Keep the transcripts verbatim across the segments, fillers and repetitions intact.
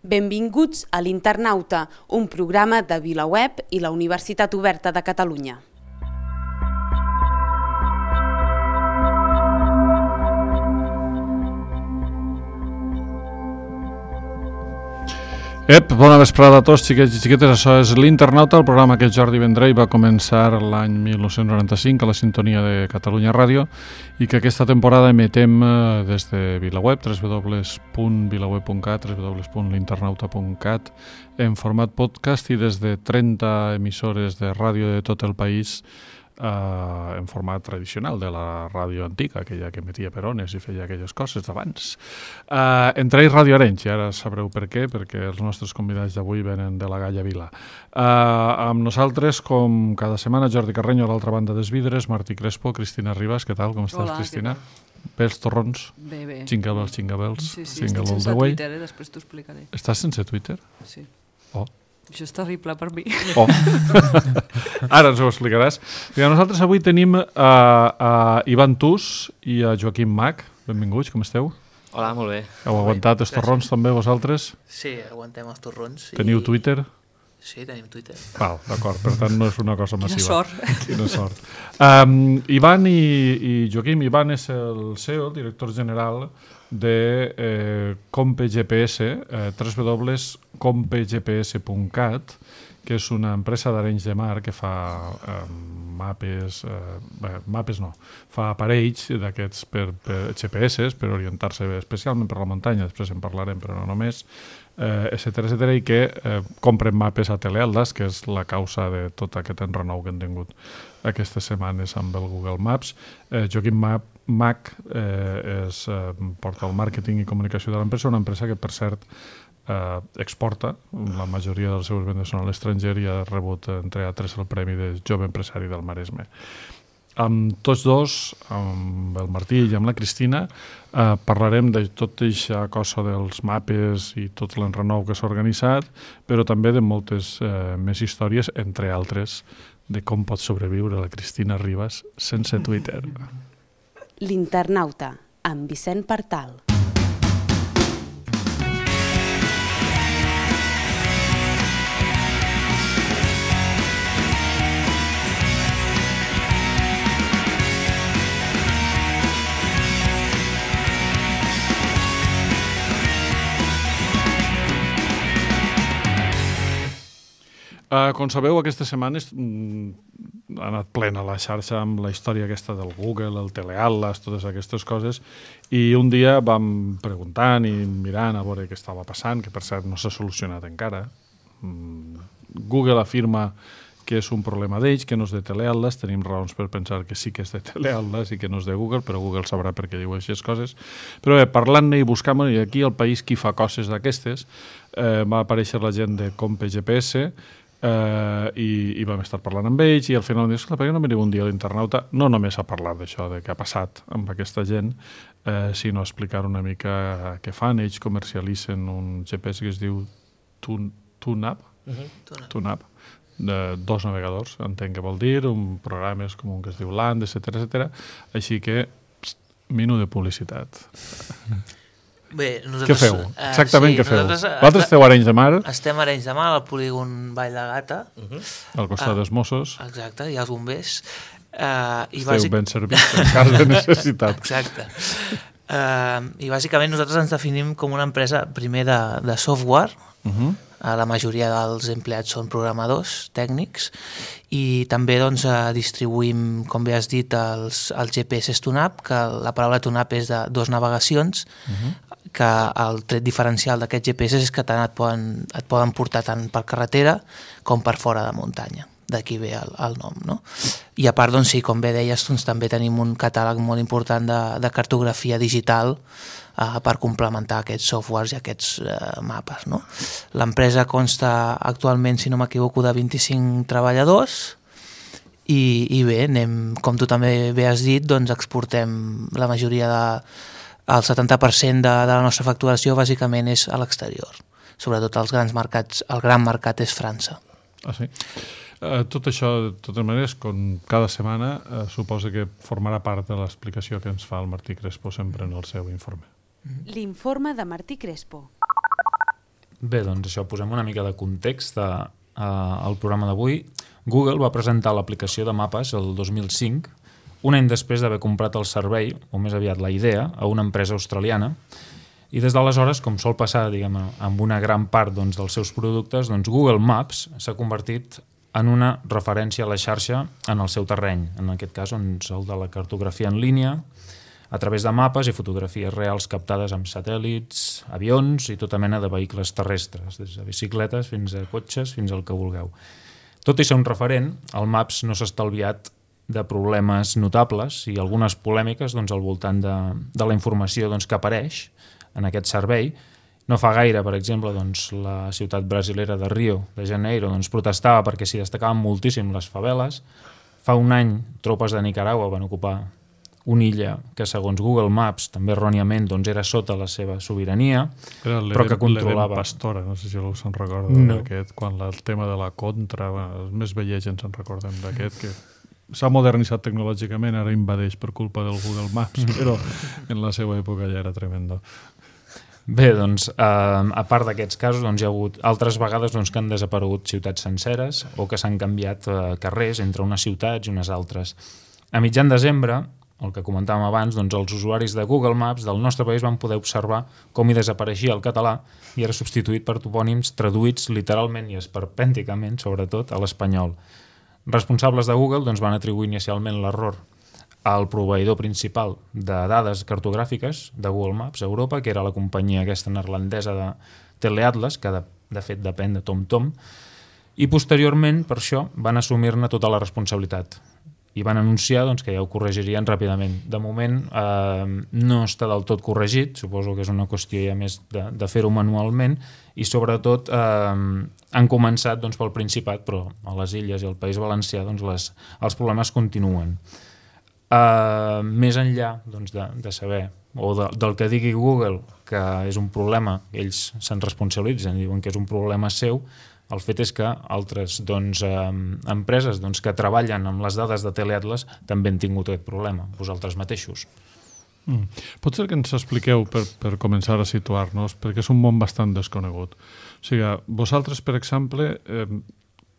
Benvinguts a l'Internauta, un programa de VilaWeb i la Universitat Oberta de Catalunya. Ep, bona vesprada a tots, xiquets i xiquetes. Això és l'Internauta, el programa que Jordi Vendrell va començar l'any mil nou-cents noranta-cinc a la sintonia de Catalunya Ràdio i que aquesta temporada emetem des de VilaWeb, w w w punt vilaweb punt cat, w w w punt l'internauta punt cat, en format podcast i des de trenta emissores de ràdio de tot el país Uh, en format tradicional de la ràdio antiga, aquella que emetia per ones i feia aquelles coses d'abans. Uh, entre ells Ràdio Arenys, i ara sabreu per què, perquè els nostres convidats d'avui venen de la Galla Vila. Uh, amb nosaltres, com cada setmana, Jordi Carreño, a l'altra banda dels vidres, Martí Crespo, Cristina Ribas. Què tal? Com estàs, Hola, Cristina? Bé, els torrons? Bé, bé. Jingle bells, jingle bells. Sí, sí, estic sense Twitter, eh? Després t'ho explicaré. Estàs sense Twitter? Sí. Oh. Això és terrible per mi. Oh. Ara ens ho explicaràs. I nosaltres avui tenim a, a Ivan Tus i a Joaquim Mach. Benvinguts, com esteu? Hola, molt bé. Heu aguantat els torrons també vosaltres? Sí, aguantem els torrons. Teniu i... Twitter? Sí, tenim Twitter. Val, d'acord, per tant no és una cosa massiva. Quina sort. Quina sort. Um, Ivan i, i Joaquim, Ivan és el C E O, el director general de eh, CompeGPS, eh, w w w punt compegps punt cat, que és una empresa d'Arenys de Mar que fa eh, mapes, eh, bé, mapes no, fa aparells d'aquests per, per G P S, per orientar-se especialment per la muntanya, després en parlarem, però no només, eh, etcètera, etcètera, i que eh, compren mapes a Teleatlas, que és la causa de tot aquest enrenou que han tingut aquestes setmanes amb el Google Maps. Eh, Joaquim Mach eh, és, eh, porta el màrqueting i comunicació de l'empresa, una empresa que, per cert, eh, exporta. La majoria dels seus vendes són a l'estranger i ha rebut, entre altres, el Premi de Jove Empresari del Maresme. Amb tots dos, amb el Martí i amb la Cristina, eh, parlarem de tot aquesta cosa dels mapes i tot l'enrenou que s'ha organitzat, però també de moltes eh, més històries, entre altres, de com pot sobreviure la Cristina Ribas sense Twitter. L'Internauta, amb Vicent Partal. Uh, com sabeu, aquestes setmanes mm, ha anat plena la xarxa amb la història aquesta del Google, el Teleatlas, totes aquestes coses, i un dia vam preguntant i mirant a veure què estava passant, que per cert no s'ha solucionat encara. Mm, Google afirma que és un problema d'ells, que no és de Teleatlas, tenim raons per pensar que sí que és de Teleatlas i que no és de Google, però Google sabrà per què diu aquestes coses. Però bé, parlant-ne i buscant-ne, i aquí al país qui fa coses d'aquestes, eh, va aparèixer la gent de CompeGPS, Uh, i, i vam estar parlant amb ells i al final vam dir, esclar, per què no veniu un dia a l'Internauta no només a parlar d'això, de què ha passat amb aquesta gent, uh, sinó a explicar una mica què fan. Ells comercialitzen un G P S que es diu TuneUp, uh-huh. TuneUp, de dos navegadors, entenc què vol dir, un programa és com un que es diu Land, etcètera, etcètera. Així que, pst, minut de publicitat. Bé, nosaltres... Què feu? Exactament, uh, sí, què feu? Vosaltres esteu a Arenys de Mar? Estem a Arenys de Mar, al polígon Vall de Gata. Uh-huh. Al costat uh, dels Mossos. Exacte, i els bombers. Uh, i Esteu bàsic... ben servits en cas de necessitat. Exacte. Uh, I bàsicament nosaltres ens definim com una empresa, primer, de, de software. Uh-huh. Uh, la majoria dels empleats són programadors tècnics i també doncs, uh, distribuïm, com bé has dit, els, els G P S TuneUp, que la paraula TuneUp és de dos navegacions, uh-huh. que el tret diferencial d'aquests G P S és que tant et poden, et poden portar tant per carretera com per fora de muntanya. D'aquí ve el, el nom, no? I a part, doncs, sí, com bé deies, doncs, també tenim un catàleg molt important de, de cartografia digital uh, per complementar aquests softwares i aquests uh, mapes, no? L'empresa consta actualment, si no m'equivoco, de vint-i-cinc treballadors i, i bé, anem, com tu també bé has dit, doncs exportem la majoria de... El setanta per cent de, de la nostra facturació bàsicament és a l'exterior. Sobretot els grans mercats, el gran mercat és França. Ah, sí? Uh, tot això, de totes maneres, com cada setmana, uh, suposa que formarà part de l'explicació que ens fa el Martí Crespo sempre en el seu informe. L'informe de Martí Crespo. Bé, doncs això, posem una mica de context a, a, al programa d'avui. Google va presentar l'aplicació de mapes el dos mil cinc, un any després d'haver comprat el servei, o més aviat la idea, a una empresa australiana, i des d'aleshores, com sol passar, diguem, amb una gran part doncs, dels seus productes, doncs Google Maps s'ha convertit en una referència a la xarxa en el seu terreny, en aquest cas doncs, el de la cartografia en línia, a través de mapes i fotografies reals captades amb satèl·lits, avions i tota mena de vehicles terrestres, des de bicicletes fins a cotxes, fins al que vulgueu. Tot i ser un referent, el Maps no s'ha estalviat de problemes notables i algunes polèmiques doncs, al voltant de, de la informació doncs, que apareix en aquest servei. No fa gaire, per exemple, doncs, la ciutat brasilera de Rio de Janeiro doncs, protestava perquè s'hi destacaven moltíssim les faveles. Fa un any, tropes de Nicaragua van ocupar una illa que, segons Google Maps, també erròniament doncs, era sota la seva sobirania, era però que controlava... Pastora, no sé si algú se'n recorda no. d'aquest, quan el tema de la contra, bueno, els més vells ens en recordem d'aquest, que s'ha modernitzat tecnològicament, ara invadeix per culpa del Google Maps, però en la seva època ja era tremendo. Bé, doncs, eh, a part d'aquests casos, doncs, hi ha hagut altres vegades doncs, que han desaparegut ciutats senceres o que s'han canviat eh, carrers entre unes ciutats i unes altres. A mitjan desembre, el que comentàvem abans, doncs, els usuaris de Google Maps del nostre país van poder observar com hi desapareixia el català i era substituït per topònims traduïts literalment i esperpènticament, sobretot, a l'espanyol. Responsables de Google doncs, van atribuir inicialment l'error al proveïdor principal de dades cartogràfiques de Google Maps a Europa, que era la companyia aquesta neerlandesa de Teleatlas, que de, de fet depèn de TomTom, i posteriorment, per això, van assumir-ne tota la responsabilitat i van anunciar doncs, que ja ho corregirien ràpidament. De moment eh, no està del tot corregit, suposo que és una qüestió ja més de, de fer-ho manualment, i sobretot eh, han començat doncs, pel Principat, però a les Illes i al País Valencià doncs, les, els problemes continuen. Uh, més enllà doncs, de, de saber o de, del que digui Google que és un problema, ells se'n responsabilitzen i diuen que és un problema seu, el fet és que altres doncs, uh, empreses doncs, que treballen amb les dades de Teleatlas també han tingut aquest problema, vosaltres mateixos. Mm. Pot ser que ens expliqueu per, per començar a situar-nos, perquè és un món bastant desconegut. O sigui, vosaltres, per exemple, eh,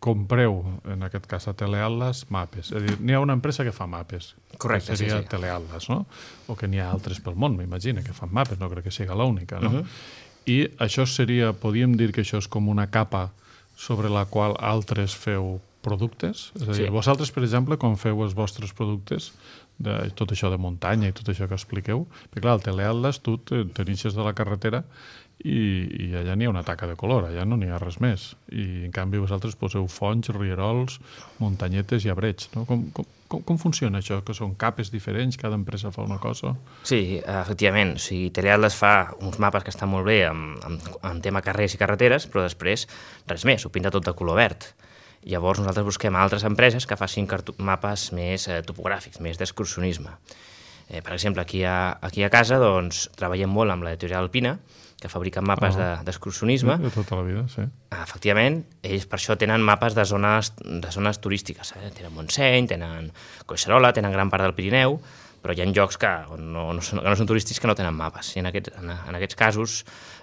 compreu, en aquest cas a Teleatlas, mapes. És a dir, n'hi ha una empresa que fa mapes. Correcte, que seria sí, sí. Teleatlas, no? O que n'hi ha altres pel món, m'imagino, que fan mapes, no crec que sigui l'única, no? Uh-huh. I això seria, podríem dir que això és com una capa sobre la qual altres feu productes? És a dir, sí. Vosaltres, per exemple, quan feu els vostres productes, de tot això de muntanya i tot això que expliqueu, perquè clar, el Teleatlas tu t'inixes de la carretera i, i allà n'hi ha una taca de color, allà no n'hi ha res més. I en canvi vosaltres poseu fonts, rierols, muntanyetes i arbreig, no? Com, com, com, com funciona això? Que són capes diferents, cada empresa fa una cosa? Sí, efectivament. O sigui, Teleatlas fa uns mapes que estan molt bé amb, amb, amb tema carrers i carreteres, però després res més, ho pinta tot de color verd. Llavors nosaltres busquem altres empreses que facin mapes més eh, topogràfics, més d'excursionisme. Eh, per exemple, aquí a, aquí a casa doncs, treballem molt amb l'editorial Alpina, que fabriquen mapes oh. d'excursionisme. De, de tota la vida, sí. Efectivament, ells per això tenen mapes de zones, de zones turístiques. Eh? Tenen Montseny, tenen Collserola, tenen gran part del Pirineu, però hi ha llocs que no, no, són, que no són turístics que no tenen mapes. I en aquests, en, en aquests casos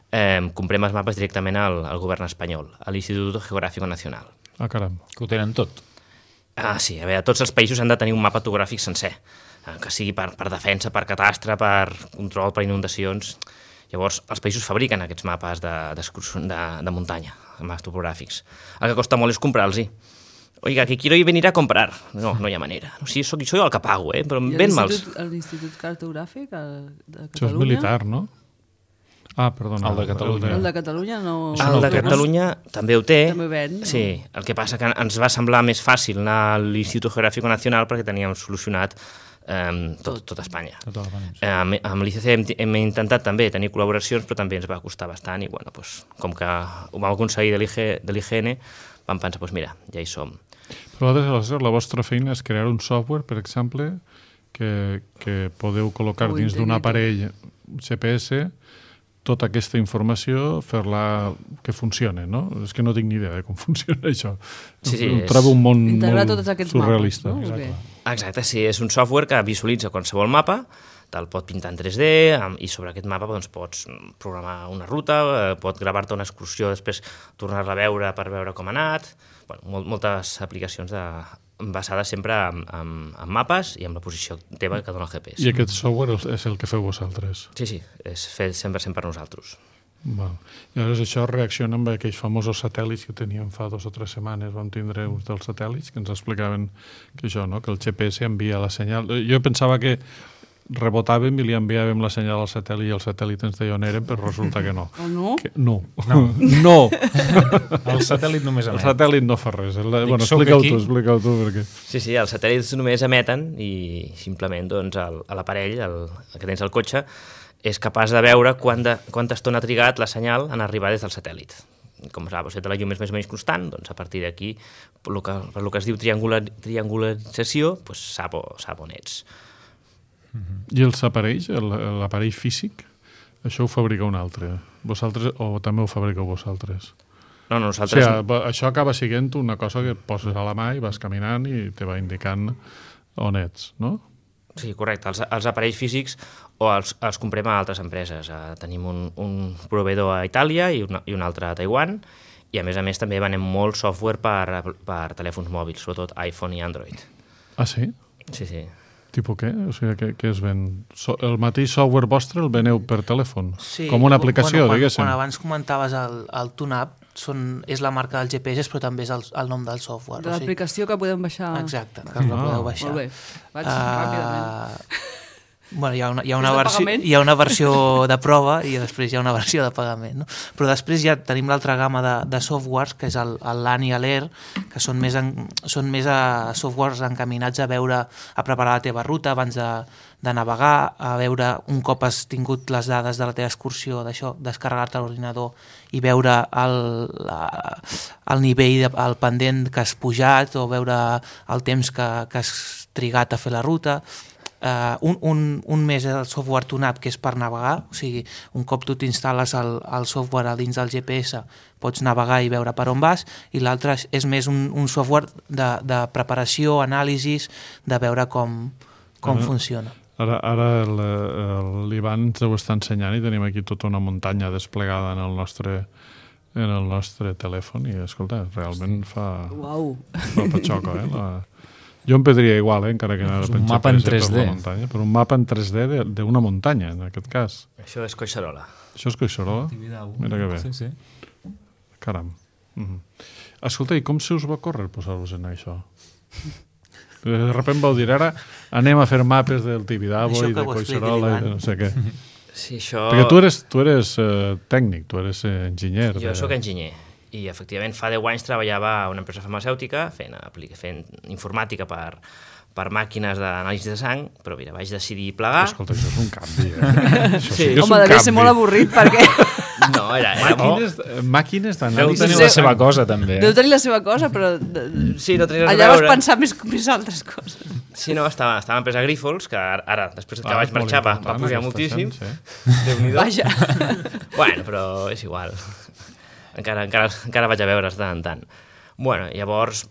eh, comprem els mapes directament al, al govern espanyol, a l'Institut Geográfico Nacional. Ah, caram. Que ho tenen tot. Ah, sí, a veure, tots els països han de tenir un mapa topogràfic sencer, que sigui per, per defensa, per catastre, per control, per inundacions. Llavors, els països fabriquen aquests mapes de, de, de muntanya, mapes topogràfics. El que costa molt és comprar-los-hi. Oiga, que quiero ir venir a comprar. No, no hi ha manera. O sigui, soc, soy el que pago, eh? Però ben mals. L'Institut Cartogràfic de Catalunya? Això és militar, no? Ah, perdona. El de Catalunya. El de Catalunya no... El de Catalunya també ho té. També ven. No? Sí, el que passa que ens va semblar més fàcil anar a l'Institut Geográfico Nacional perquè teníem solucionat eh, tot, tot Espanya. Tot sí. eh, amb amb l'I C C hem, hem intentat també tenir col·laboracions, però també ens va costar bastant i bueno, pues, com que ho vam aconseguir de l'I G N, vam pensar, pues, mira, ja hi som. Però la vostra feina és crear un software, per exemple, que, que podeu col·locar Ho dins d'un aparell G P S tota aquesta informació, fer-la que funcione, no? És que no tinc ni idea de com funciona això. Sí, sí, Em trobo un món integrar molt tots aquests surrealista. mapes, no? Exacte, sí, és un software que visualitza qualsevol mapa te'l pot pintar en tres D i sobre aquest mapa doncs, pots programar una ruta, eh, pot gravar-te una excursió, després tornar-la a veure per veure com ha anat. Bueno, moltes aplicacions de, basades sempre en, en, en mapes i en la posició teva que dona el G P S. I aquest software és el que feu vosaltres? Sí, sí, és fet cent per cent per nosaltres. Val. I llavors això reacciona amb aquells famosos satèl·lits que teníem fa dos o tres setmanes. Vam tindre uns dels satèl·lits que ens explicaven que això, no? Que el G P S envia la senyal. Jo pensava que rebotàvem i li enviàvem la senyal al satèl·lit i el satèl·lit ens deia on érem, però resulta que no. Oh, no? Que, no. No. no. El satèl·lit només emet. El satèl·lit no fa res. El, Dic, bueno, soc explica-ho aquí. tu, explica-ho tu. Perquè... Sí, sí, els satèl·lits només emeten i simplement doncs, el, l'aparell, el, el que tens al cotxe, és capaç de veure quant de, quanta estona ha trigat la senyal en arribar des del satèl·lit. Com saps, si la llum és més o menys constant, doncs a partir d'aquí, per lo que, per lo que es diu triangular, triangularització, doncs sap, sap on ets. I els aparells, el- l'aparell físic, això ho fabrica un altre. Vosaltres, o també ho fabriqueu vosaltres? No, no, O nosaltres... sigui, això acaba sent una cosa que et poses a la mà i vas caminant i te va indicant on ets, no? Sí, correcte. Els, els aparells físics o els, els comprem a altres empreses. Uh, tenim un, un proveïdor a Itàlia i, una, i un altre a Taiwan, i a més a més també venem molt software per, per telèfons mòbils, sobretot iPhone i Android. Ah, sí? Sí, sí. Tipo què? O sigui, què, què es ven? So, el mateix software vostre el veneu per telèfon? Sí, Com una aplicació, bueno, quan, diguéssim. Quan abans comentaves el, el TuneUp, són, és la marca del G P S, però també és el, el nom del software. De l'aplicació que podem baixar. Exacte, que us la Ah. podeu baixar. Molt bé. Vaig Ah, ràpidament. Bueno, hi ha una, hi ha És una, de versió, pagament? hi ha una versió de prova i després hi ha una versió de pagament. No? Però després ja tenim l'altra gamma de, de softwares, que és el, el LAN i l'Air, que són més, en, són més a softwares encaminats a veure, a preparar la teva ruta abans de, de navegar, a veure un cop has tingut les dades de la teva excursió, d'això, descarregar-te a l'ordinador i veure el, la, el nivell, de, el pendent que has pujat o veure el temps que, que has trigat a fer la ruta. Uh, un, un, un més és el software TuneUp, que és per navegar, o sigui, un cop tu t'instal·les el, el software a dins del G P S pots navegar i veure per on vas, i l'altre és, és més un, un software de, de preparació, anàlisis, de veure com, com Ah. funciona. Ara, ara el- el- l'Ivan ens ho està ensenyant i tenim aquí tota una muntanya desplegada en el nostre, en el nostre telèfon i, escolta, realment fa, Uau. fa patxoca, eh? La... Jo em pedria igual, eh, encara que anara És per un mapa en G P S tres D. per la muntanya, però un mapa en tres D de- d'una muntanya, en aquest cas. Això és Collserola. Això és Collserola? Mira que bé. Sí, sí. Caram. Mm. Escolta, i com se us va córrer posar-vos en això? De sobte vau dir, ara anem a fer mapes del Tibidabo Això i que de ho expliqui Collserola i l'Ivan. de no sé què. Sí, això... Perquè tu eres, tu eres eh, tècnic, tu eres eh, enginyer. Jo de- sóc enginyer i efectivament fa deu anys treballava a una empresa farmacèutica fent, apli- fent informàtica per, per màquines d'anàlisi de sang, però mira, vaig decidir plegar. Escolta, això és un canvi, eh? Això sí, Sí. que és Home, un devia canvi. ser molt avorrit perquè No, era... era Màquines, eh, màquines Deu d'anàlisi. tenir Sí. la seva cosa, també. deu tenir la seva cosa, però de- Sí, no tenies res a allà vas veure. pensar més, més altres coses. Sí, no, estava, estava a l'empresa Grifols, que ara, ara després que Ah, vaig és molt marxar, va, va important, pujar aquesta moltíssim. gent, sí. Déu-n'hi-do. Vaja. Bueno, però és igual. Encara, encara, encara vaig a veure de tant en tant. Bueno, llavors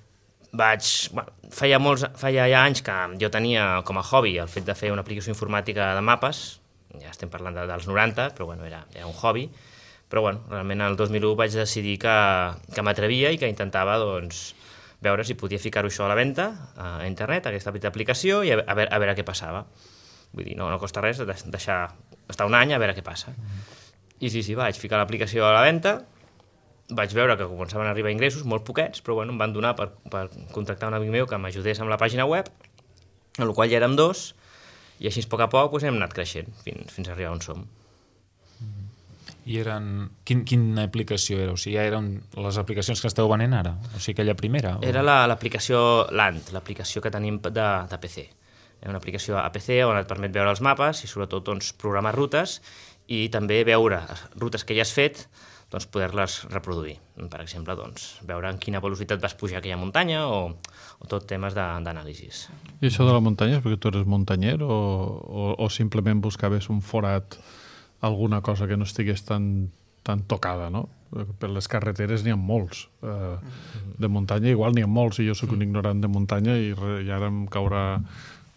vaig... Bueno, feia, molts, feia ja anys que jo tenia com a hobby el fet de fer una aplicació informàtica de mapes, ja estem parlant de, dels noranta, però bueno, era, era un hobby, però bueno, realment el dos mil u vaig decidir que, que m'atrevia i que intentava doncs, veure si podia ficar-ho això a la venda a internet, aquesta petita aplicació, i a, a, veure, a veure què passava. Vull dir, no, no costa res deixar estar un any a veure què passa. I sí, sí, vaig ficar l'aplicació a la venda, vaig veure que començaven a arribar ingressos, molt poquets, però bueno, em van donar per, per contractar un amic meu que m'ajudés amb la pàgina web, en la qual ja érem dos, i així a poc a poc doncs, hem anat creixent fins, fins a arribar on som. I eren... Quin, quina aplicació era? O sigui, ja eren les aplicacions que esteu venent ara? O sigui, aquella primera? O... Era la- l'aplicació Land, l'aplicació que tenim de, de P C. Era una aplicació a P C on et permet veure els mapes i sobretot doncs, programar rutes i també veure rutes que ja has fet, doncs, poder-les reproduir. Per exemple, doncs, veure en quina velocitat vas pujar aquella muntanya o, o tot temes d'anàlisis. I això de la muntanya és perquè tu eres muntanyer o, o, o simplement buscaves un forat, alguna cosa que no estigués tan, tan tocada, no? Per les carreteres n'hi ha molts. Eh, de muntanya igual n'hi ha molts i jo sóc un ignorant de muntanya i, re, i ara em caurà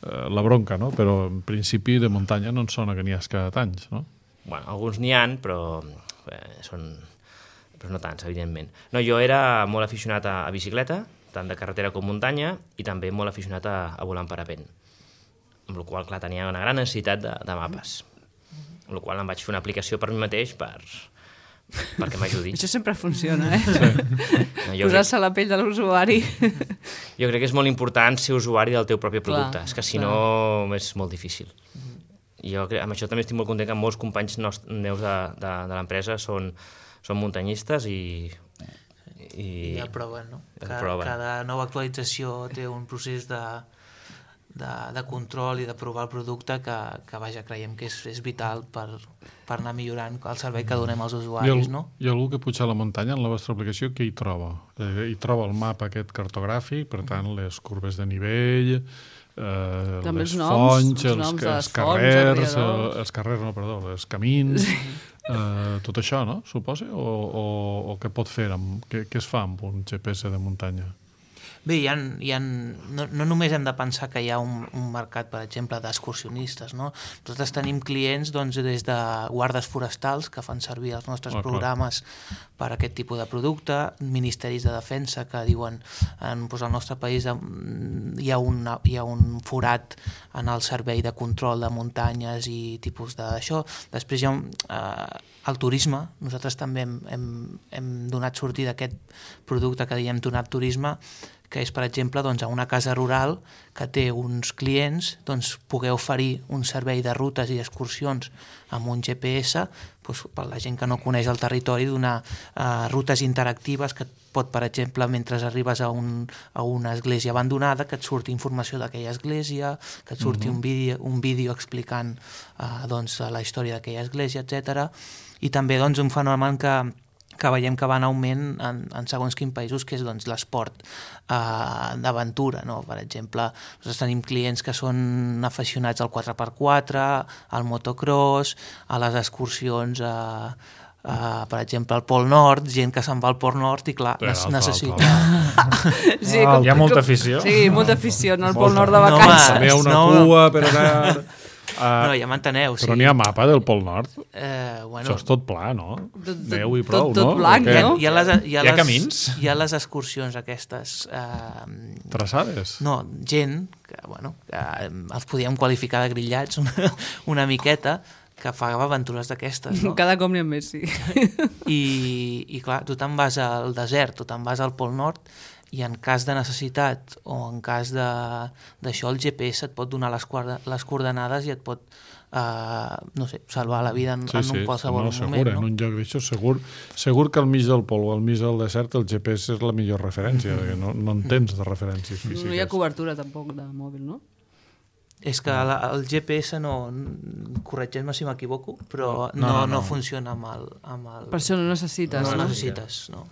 eh, la bronca, no? Però en principi de muntanya no en sona que n'hi ha cada anys, no? Bueno, alguns n'hi han, però eh, són... però no tants, evidentment. No, jo era molt aficionat a, a bicicleta, tant de carretera com muntanya, i també molt aficionat a, a volar en parapent. Amb la qual cosa, clar, tenia una gran necessitat de, de mapes. Amb la qual cosa em vaig fer una aplicació per mi mateix per, perquè m'ajudi. Això sempre funciona, eh? Sí. No, jo Posar-se a la pell de l'usuari. Jo crec que és molt important ser usuari del teu propi producte, Clar, és que si clar. no és molt difícil. Jo crec, amb això també estic molt content que molts companys meus de, de, de l'empresa són, són muntanyistes i... I, I el proven, no? el Cada, proven. cada nova actualització té un procés de, de, de control i de provar el producte que, que vaja, creiem que és, és vital per, per anar millorant el servei que donem als I, el, usuaris, no? I algú que puja a la muntanya en la vostra aplicació, què hi troba? Eh, hi troba el mapa aquest cartogràfic, per tant, les curves de nivell, eh, També les els noms, fonts, els els, noms de els les fonts, carrers, els el, rierols. els carrers, no, perdó, els camins, eh, tot això, no? Suposa? O, o, o què pot fer, amb, què, què es fa amb un G P S de muntanya? Bé, hi ha, hi ha, no, no només hem de pensar que hi ha un, un mercat, per exemple, d'excursionistes, no? Nosaltres tenim clients doncs, des de guardes forestals que fan servir els nostres Ah, clar. programes per a aquest tipus de producte, ministeris de defensa que diuen en, doncs, al nostre país em, hi ha, una, hi ha un forat en el servei de control de muntanyes i tipus d'això. Després hi ha un, eh, el turisme. Nosaltres també hem, hem, hem donat sortida a aquest producte que diem Tunap Turisme, que és, per exemple, doncs, a una casa rural que té uns clients, doncs, poder oferir un servei de rutes i excursions amb un G P S, doncs, per la gent que no coneix el territori, donar uh, rutes interactives que et pot, per exemple, mentre arribes a, un, a una església abandonada, que et surti informació d'aquella església, que et surti uh-huh. un, vídeo, un vídeo explicant uh, doncs, la història d'aquella església, etcètera. I també doncs, un fenomen que que veiem que va en augment en, en segons quins països, que és doncs, l'esport eh, d'aventura. No? Per exemple, nosaltres tenim clients que són aficionats al quatre per quatre, al motocross, a les excursions a, a, per exemple, al Pol Nord, gent que se'n va al Pol Nord i, clar, Bé, alta, necessita... alta, Sí, Ah, hi ha molta afició. Sí, molta afició en el Molta. Pol Nord de No, vacances. També hi ha una no. cua per anar... Uh, No, ja m'enteneu. però sí. n'hi ha mapa del Pol Nord? Eh, bueno, Això és tot pla, no? Tot- tot- Neu i prou, tot- tot no? blanc, O què? no? hi ha, les, hi ha, Hi ha les, camins? Hi ha les excursions aquestes... Eh, Traçades? No, gent que, bueno, que eh, els podíem qualificar de grillats una, una miqueta, que fa aventures d'aquestes, no? Cada cop n'hi ha més, sí. I, I clar, tu te'n vas al desert, tu te'n vas al Pol Nord, i en cas de necessitat o en cas d'això, el G P S et pot donar les, les coordenades i et pot, eh, no sé, salvar la vida en, Sí, en sí, un qualsevol no, segur, moment. en No? un lloc d'això, segur, segur que al mig del pol o al mig del desert el G P S és la millor referència, perquè no, no en tens de referències físiques. No hi ha cobertura tampoc de mòbil, no? És que la, el G P S no, corregeix-me si m'equivoco, però no, No, no, no, no, no. funciona amb el... Amb el Per això no necessites, no, no? necessites, no.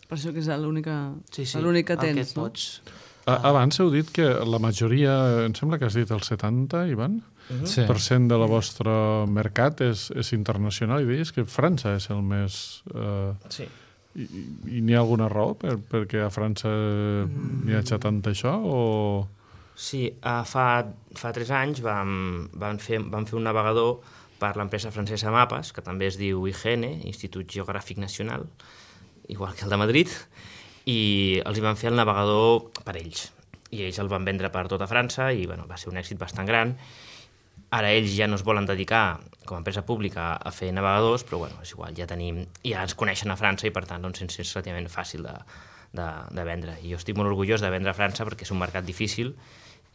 Per això que és l'única Sí, sí, l'únic que el tens, et no? pots... A- Abans heu dit que la majoria, em sembla que has dit el setanta, Ivan, Sí. per cent de la vostra mercat és, és internacional, i deies que França és el més... Eh, Sí. I, i n'hi ha alguna raó per, perquè a França n'hi hagi tant això, o... Sí, uh, fa, fa tres anys vam, vam, fer, vam fer un navegador per l'empresa francesa Mapes, que també es diu I G N, Institut Geogràfic Nacional, igual que el de Madrid, i els hi van fer el navegador per ells. I ells el van vendre per tota França i bueno, va ser un èxit bastant gran. Ara ells ja no es volen dedicar com a empresa pública a fer navegadors, però bueno, és igual, ja tenim, ja ens coneixen a França i per tant doncs, és relativament fàcil de, de, de vendre. I jo estic molt orgullós de vendre a França perquè és un mercat difícil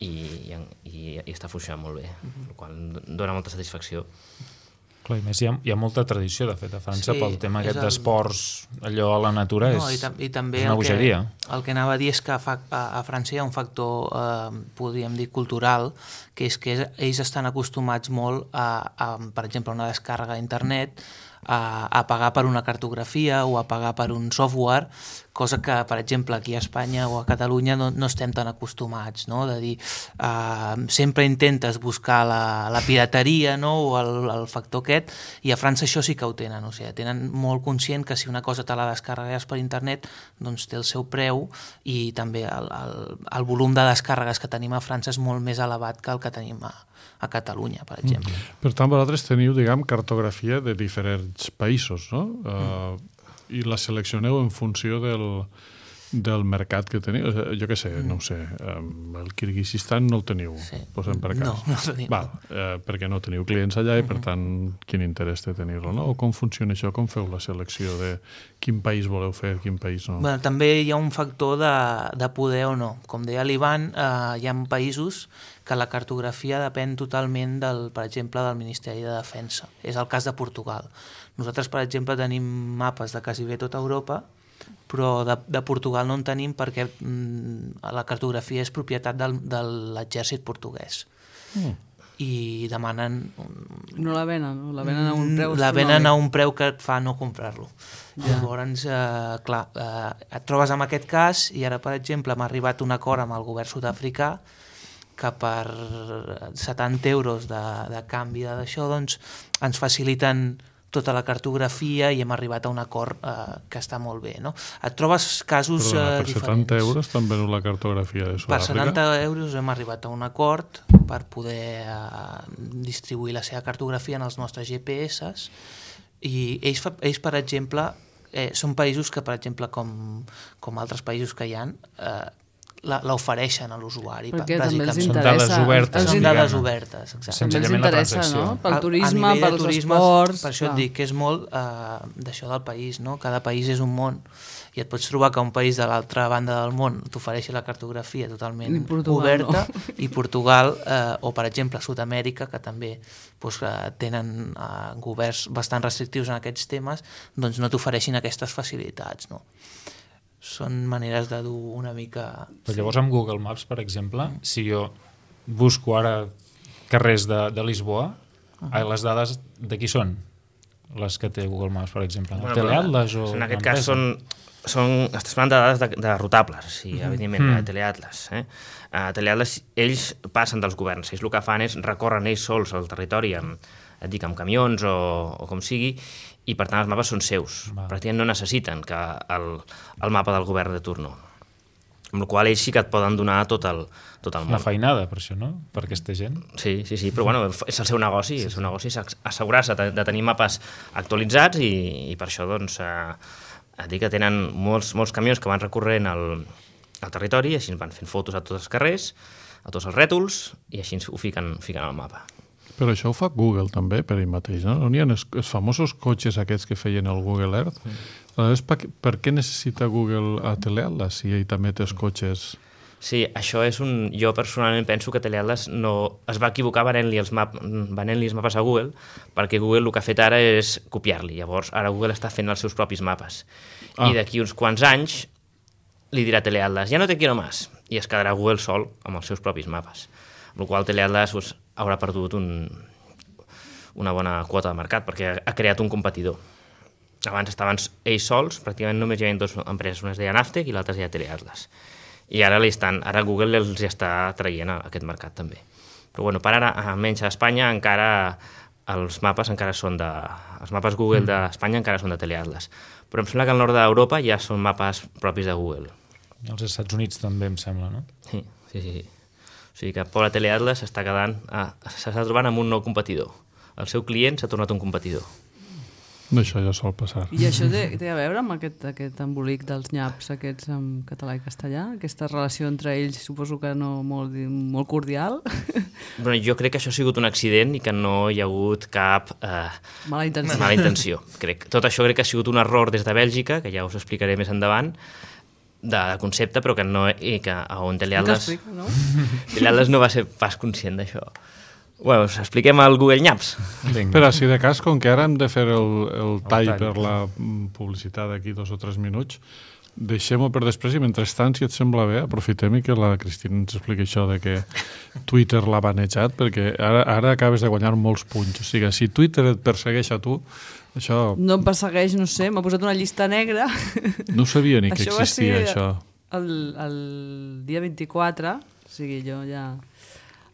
i, i, i, i està funcionant molt bé, el qual dona molta satisfacció. Clar, i més hi ha, hi ha molta tradició, de fet, a França, Sí, pel tema és aquest el- d'esports, allò a la natura, No, és, i, tam i també és una el que, bogeria. el que anava a dir és que fa, a, a França hi ha un factor, eh, podríem dir, cultural, que és que és, ells estan acostumats molt a, a, per exemple, una descàrrega a internet, a, a pagar per una cartografia o a pagar per un software cosa que, per exemple, aquí a Espanya o a Catalunya no, no estem tan acostumats, no? De dir, uh, sempre intentes buscar la, la pirateria, no? O el, el factor aquest, i a França això sí que ho tenen, o sigui, tenen molt conscient que si una cosa te la descarregues per internet, doncs té el seu preu, i també el, el, el volum de descàrregues que tenim a França és molt més elevat que el que tenim a, a Catalunya, per exemple. Mm. Per tant, vosaltres teniu, diguem, cartografia de diferents països, no? Mm. Uh, i la seleccioneu en funció del, del mercat que teniu. Jo què sé, mm. no ho sé, el Kirguizistan no el teniu, sí. Posem per cas. No, no el tenim. Val, eh, perquè no teniu clients allà i, per tant, quin interès té tenir-lo, no? O com funciona això? Com feu la selecció de quin país voleu fer, quin país no? Bueno, també hi ha un factor de, de poder o no. Com deia l'Ivan, eh, hi ha països que la cartografia depèn totalment, del, per exemple, del Ministeri de Defensa. És el cas de Portugal. Nosaltres, per exemple, tenim mapes de quasi bé tota Europa, però de, de Portugal no en tenim perquè mm, la cartografia és propietat del, de l'exèrcit portuguès. Mm. I demanen... No la venen, no? La venen a un preu La venen a un preu que et fa no comprar-lo. Ja. Llavors, eh, clar, eh, et trobes amb aquest cas i ara, per exemple, m'ha arribat un acord amb el govern sud-africà que per setanta euros de, de canvi d'això, doncs, ens faciliten tota la cartografia i hem arribat a un acord eh, que està molt bé, no? Et trobes casos Perdona, eh, per diferents. setanta euros t'han venut la cartografia de Sud-àfrica? Per setanta euros hem arribat a un acord per poder eh, distribuir la seva cartografia en els nostres G P S i ells, ells per exemple, eh, són països que, per exemple, com, com altres països que hi ha, eh, l'ofereixen a l'usuari. Perquè també els Són interessa. dades obertes. Són dades obertes, exacte. També els interessa, no? Pel turisme, a, a pels turisme, esports... Per això clar. Et dic que és molt eh, d'això del país, no? Cada país és un món i et pots trobar que un país de l'altra banda del món t'ofereixi la cartografia totalment Portugal, oberta no? i Portugal, eh, o per exemple Sud-amèrica, que també doncs, eh, tenen eh, governs bastant restrictius en aquests temes, doncs no t'ofereixin aquestes facilitats, no? Són maneres de dur una mica... Però llavors amb Google Maps, per exemple, si jo busco ara carrers de, de Lisboa, uh -huh. les dades de qui són? Les que té Google Maps, per exemple. Bueno, Teleatlas o... En aquest cas són, són... Estàs parlant de dades de, de rotables, o sigui, uh -huh. evidentment, mm. de Teleatlas. Eh? Uh, Teleatlas, ells passen dels governs, ells el que fan és recorren ells sols el territori amb, et dic, amb camions o, o com sigui, i per tant els mapes són seus. Va. Pràcticament no necessiten que el, el mapa del govern de turno. Amb la qual ells sí que et poden donar tot el, tot el món. Una feinada, per això, no? Per aquesta gent. Sí, sí, sí, però bueno, és el seu negoci, sí, el seu negoci és assegurar-se de, de tenir mapes actualitzats i, i per això, doncs, eh, et dic que tenen molts, molts camions que van recorrent el, el territori i així van fent fotos a tots els carrers, a tots els rètols, i així ho fiquen, fiquen al mapa. Però això ho fa Google també per ell mateix, no? N'hi ha els, els famosos cotxes aquests que feien el Google Earth. Mm. Aleshores, per, per què necessita Google a Teleatlas si ell també té els cotxes? Sí, això és un... Jo personalment penso que Teleatlas no es va equivocar venent-li els, map... venent-li els mapes a Google, perquè Google el que ha fet ara és copiar-li. Llavors, ara Google està fent els seus propis mapes. Ah. I d'aquí uns quants anys li dirà Teleatlas, ja no te quiero más, i es quedarà Google sol amb els seus propis mapes. Amb la qual cosa Teleatlas pues, haurà perdut un, una bona quota de mercat perquè ha creat un competidor. Abans estaven ells sols, pràcticament només hi havia dues empreses, una es deia Naftec i l'altra es deia Teleatlas. I ara, estan, ara Google els està traient a aquest mercat també. Però bueno, per ara, almenys a Espanya, encara els mapes encara són de... Els mapes Google d'Espanya encara són de Teleatlas. Però em sembla que al nord d'Europa ja són mapes propis de Google. Els Estats Units també, em sembla, no? Sí, sí, sí. O sigui que pobre Teleatlas s'està quedant... Ah, s'està trobant amb un nou competidor. El seu client s'ha tornat un competidor. Això ja sol passar. I això té, té a veure amb aquest, aquest embolic dels nyaps aquests en català i castellà? Aquesta relació entre ells suposo que no molt, molt cordial? Bueno, jo crec que això ha sigut un accident i que no hi ha hagut cap eh, mala intenció. Mala intenció. Crec. Tot això crec que ha sigut un error des de Bèlgica, que ja us explicaré més endavant, de concepte, però que no, i que on Teleatlas no? Teleatlas no va ser pas conscient d'això. Bueno, us expliquem el Google Maps. Però si de cas, com que ara hem de fer el, el tall, el tall per la publicitat d'aquí dos o tres minuts, deixem-ho per després i mentrestant, si et sembla bé, aprofitem i que la Cristina ens expliqui això de que Twitter l'ha banejat, perquè ara, ara acabes de guanyar molts punts. O sigui, si Twitter et persegueix a tu, Això... No em persegueix, no sé, m'ha posat una llista negra. No sabia ni que Això va existia, ser això. El, el dia vint-i-quatre, o sigui, jo ja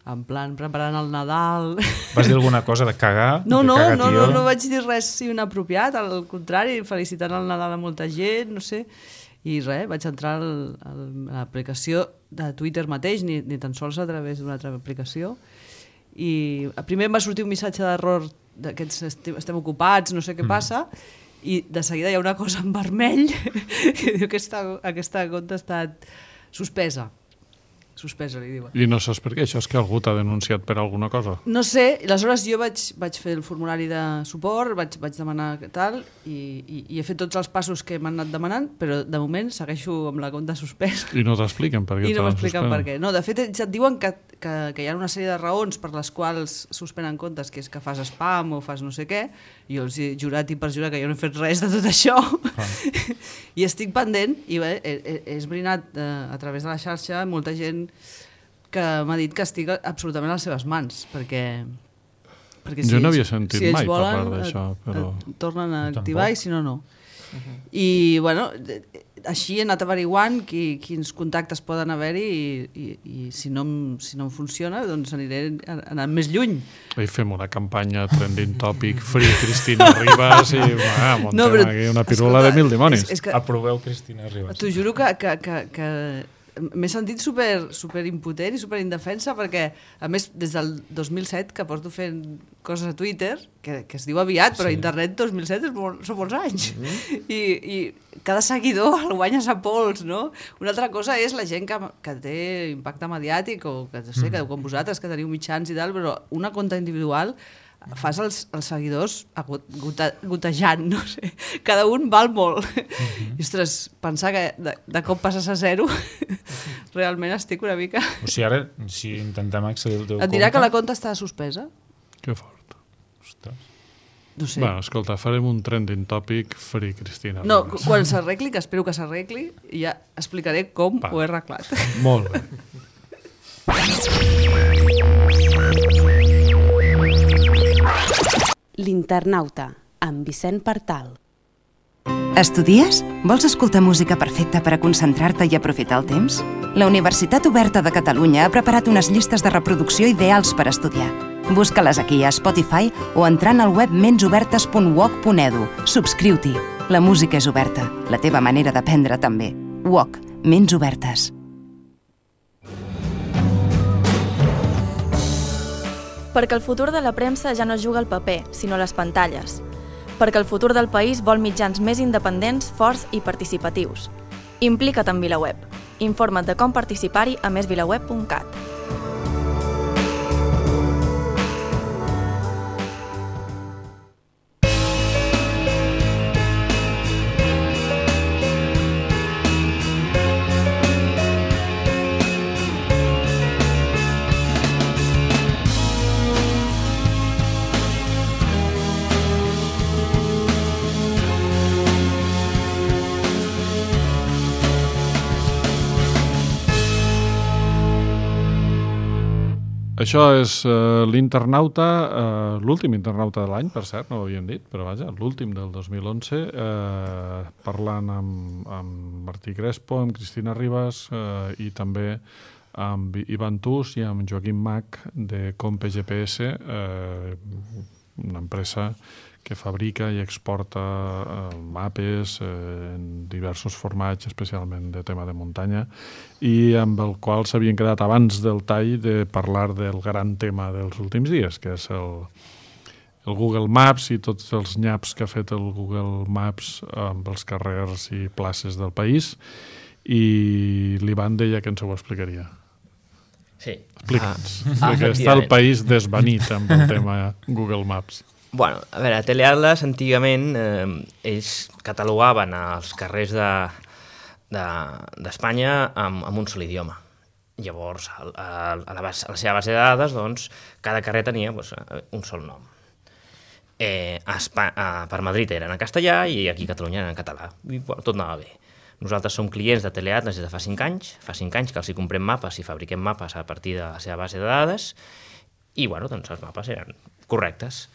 en plan preparant el Nadal... Vas dir alguna cosa de cagar? No, de no, cagar, no, tio? no, no vaig dir res inapropiat, al contrari, felicitant el Nadal a molta gent, no sé, i res, vaig entrar al, al, a l'aplicació de Twitter mateix, ni, ni tan sols a través d'una altra aplicació, i primer em va sortir un missatge d'error d'aquests estem, estem ocupats, no sé què passa, i de seguida hi ha una cosa en vermell que diu que aquesta, aquesta compte ha estat suspesa. Suspesa, li diuen. I no saps per què? Això és que algú t'ha denunciat per alguna cosa? No sé, aleshores jo vaig, vaig fer el formulari de suport, vaig, vaig demanar tal, i, i, i he fet tots els passos que m'han anat demanant, però de moment segueixo amb la compte suspesa. I no t'expliquen per què I no te m'expliquen suspenen? per què. No, de fet, ja et diuen que, que, que hi ha una sèrie de raons per les quals suspenen comptes, que és que fas spam o fas no sé què, i jo els he jurat i perjurat que jo no he fet res de tot això, ah. i estic pendent, i bé, he, he, he esbrinat eh, a través de la xarxa molta gent que m'ha dit que estic absolutament a les seves mans, perquè, perquè si jo no ells, havia sentit si ells mai volen, parlar d'això, però... et, et tornen a Tampoc. activar i si no, no. Uh-huh. I, bueno, així he anat averiguant qui, quins contactes poden haver-hi i, i, i si, no, em- si no em funciona, doncs aniré anant més lluny. Ahí fem una campanya trending topic Free Cristina Ribas i ah, montem No, però, aquí una pirula escolta, de mil dimonis. És, és que, Aproveu Cristina Ribas. T'ho juro que, que, que, que m'he sentit super, super impotent i super indefensa perquè, a més, des del dos mil set que porto fent coses a Twitter, que, que es diu aviat, però Sí. internet dos mil set és molt, són molts anys. Mm-hmm. I, I cada seguidor el guanyes a pols, no? Una altra cosa és la gent que, que té impacte mediàtic o que, no sé, que com vosaltres, que teniu mitjans i tal, però una compte individual fas els, els seguidors agot, gota, gotejant, no sé. Cada un val molt. Mm-hmm. I, ostres, pensar que de, de cop passes a zero, realment estic una mica... O sigui, ara, si intentem accedir al teu Et dirà compte... que la compte està suspesa? Que fort. Ostres. No sé. Bueno, escolta, farem un trending topic Free Cristina No, Ribas. quan s'arregli, que espero que s'arregli, ja explicaré com Va. ho he arreglat. Molt bé. L'Internauta, amb Vicent Partal. Estudies? Vols escoltar música perfecta per a concentrar-te i aprofitar el temps? La Universitat Oberta de Catalunya ha preparat unes llistes de reproducció ideals per estudiar. Busca-les aquí a Spotify o entrant al web mensobertes punt u o c punt e d u. Subscriu-t'hi. La música és oberta. La teva manera d'aprendre també. U O C. Ments obertes. Perquè el futur de la premsa ja no es juga al paper, sinó a les pantalles. Perquè el futur del país vol mitjans més independents, forts i participatius. Implica't en VilaWeb. Informa't de com participar-hi a més vilaweb punt cat. Això és uh, l'internauta, uh, l'últim internauta de l'any, per cert, no ho havíem dit, però vaja, l'últim del dos mil onze, uh, parlant amb, amb Martí Crespo, amb Cristina Ribas uh, i també amb Ivan Tus i amb Joaquim Mac de Compe G P S, uh, una empresa que fabrica i exporta eh, mapes eh, en diversos formats, especialment de tema de muntanya, i amb el qual s'havien quedat abans del tall de parlar del gran tema dels últims dies, que és el, el Google Maps i tots els nyaps que ha fet el Google Maps amb els carrers i places del país, i l'Ivan deia que ens ho explicaria. Sí. Explica'ns, Ah, perquè està el país desvanit amb el tema Google Maps. Bueno, a veure, a Teleatlas antigament eh, ells catalogaven els carrers de, de, d'Espanya amb, amb un sol idioma. Llavors, a, a, a, la base, a la seva base de dades, doncs, cada carrer tenia doncs, un sol nom. Eh, a Espa a, per Madrid eren en castellà i aquí a Catalunya eren en català. I bueno, tot anava bé. Nosaltres som clients de Teleatlas des de fa cinc anys. Fa cinc anys que els hi comprem mapes i fabriquem mapes a partir de la seva base de dades i, bueno, doncs els mapes eren correctes.